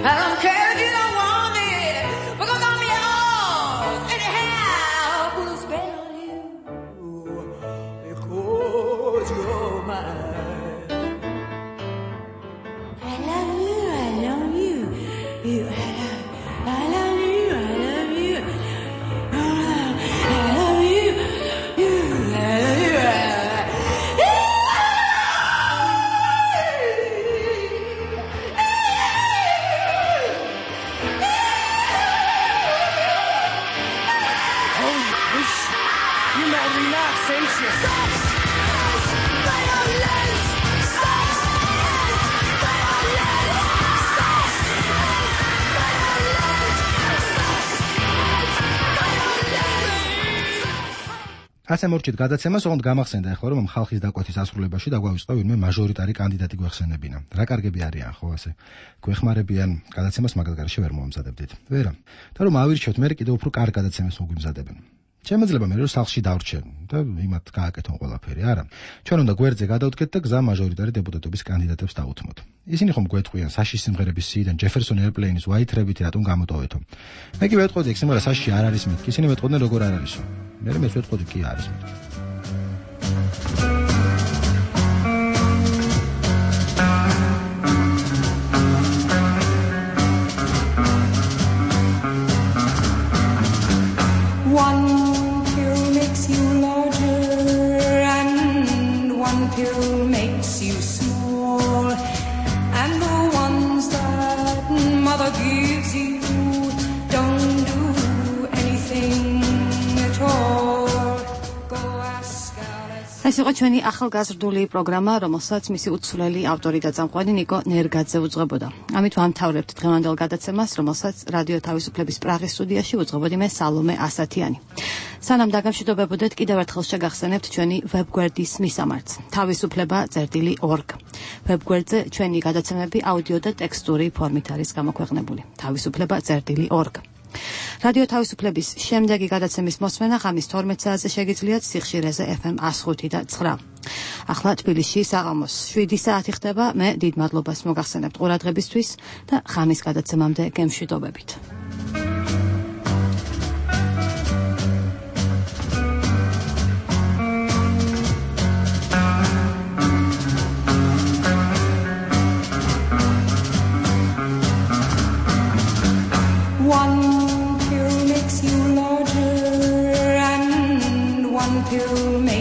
I don't care if you don't want it, because I'm yours anyhow. Put a spell on you, because you're mine. I love you, I love you, you, I love you, I love you, I love you, you, I love you, ასე მორჩით გადაცემას, ოღონდ გამახსენდა ახლა რომ ხალხის დაკვეთის ასრულებაში დაგვავიწყდა ვინმე მაჟორიტარი კანდიდატი გვეხსენებინა. რა კარგები არიან ხო ასე? გვეხმარებიან გადაცემას მაგალითად ვერ მომამზადებდით. ვერა. და რომ ავირჩიოთ, მე კიდევ უფრო კარგ გადაცემას მოგვიმზადებენ. შემეძლება მე რომ სახლში დავრჩენ და იმათ გააკეთონ ყველაფერი, არა. ჩვენ უნდა გვერდზე გადავდგეთ და გზა მაჟორიტარი დეპუტატობის კანდიდატებს დაუთმოთ. ისინი ხომ გვეტყვიან საშიშ სიმღერების სიიდან Jefferson Airplane-ის White Rabbit-ი რატომ გამოტოვეთო. მე კი ვეტყოდი ეგ სიმღერა საშიში არ არის მეთქი, ისინი მეტყოდნენ როგორ არ არისო. მე მეც ვეტყოდი კი არის მეთქი. One pill makes you larger and one pill makes you small. ეს იყო ჩვენი ახალგაზრდული პროგრამა, რომელსაც მისი უცვლელი ავტორი და წამყვანი ნიკო ნერგაძე უძღვებოდა. ამით ვამთავრებთ დღევანდელ გადაცემას, რომელსაც რადიო თავისუფლების პრაღის სტუდიაში უძღვებოდი მე სალომე ასათიანი. სანამ დაგამშვიდობებოდეთ, კიდევ ერთხელ შეგახსენებთ ჩვენი ვებგვერდის მისამართს. თავისუფლება.org. ვებგვერდზე ჩვენი გადაცემები აუდიო და ტექსტური ფორმით არის გამოქვეყნებული. თავისუფლება.org. რადიო თავისუფლების შემდეგი გადაცემის მოსმენა ღამის 12 საათზე შეგიძლიათ სიხშირეზე FM 105 და 9. ახლა თბილისში საღამოს 7 საათი ხდება. მე დიდ მადლობას მოგახსენებთ ყურადღებისთვის და ღამის გადაცემამდე გემშვიდობებით. One pill makes you larger and one pill makes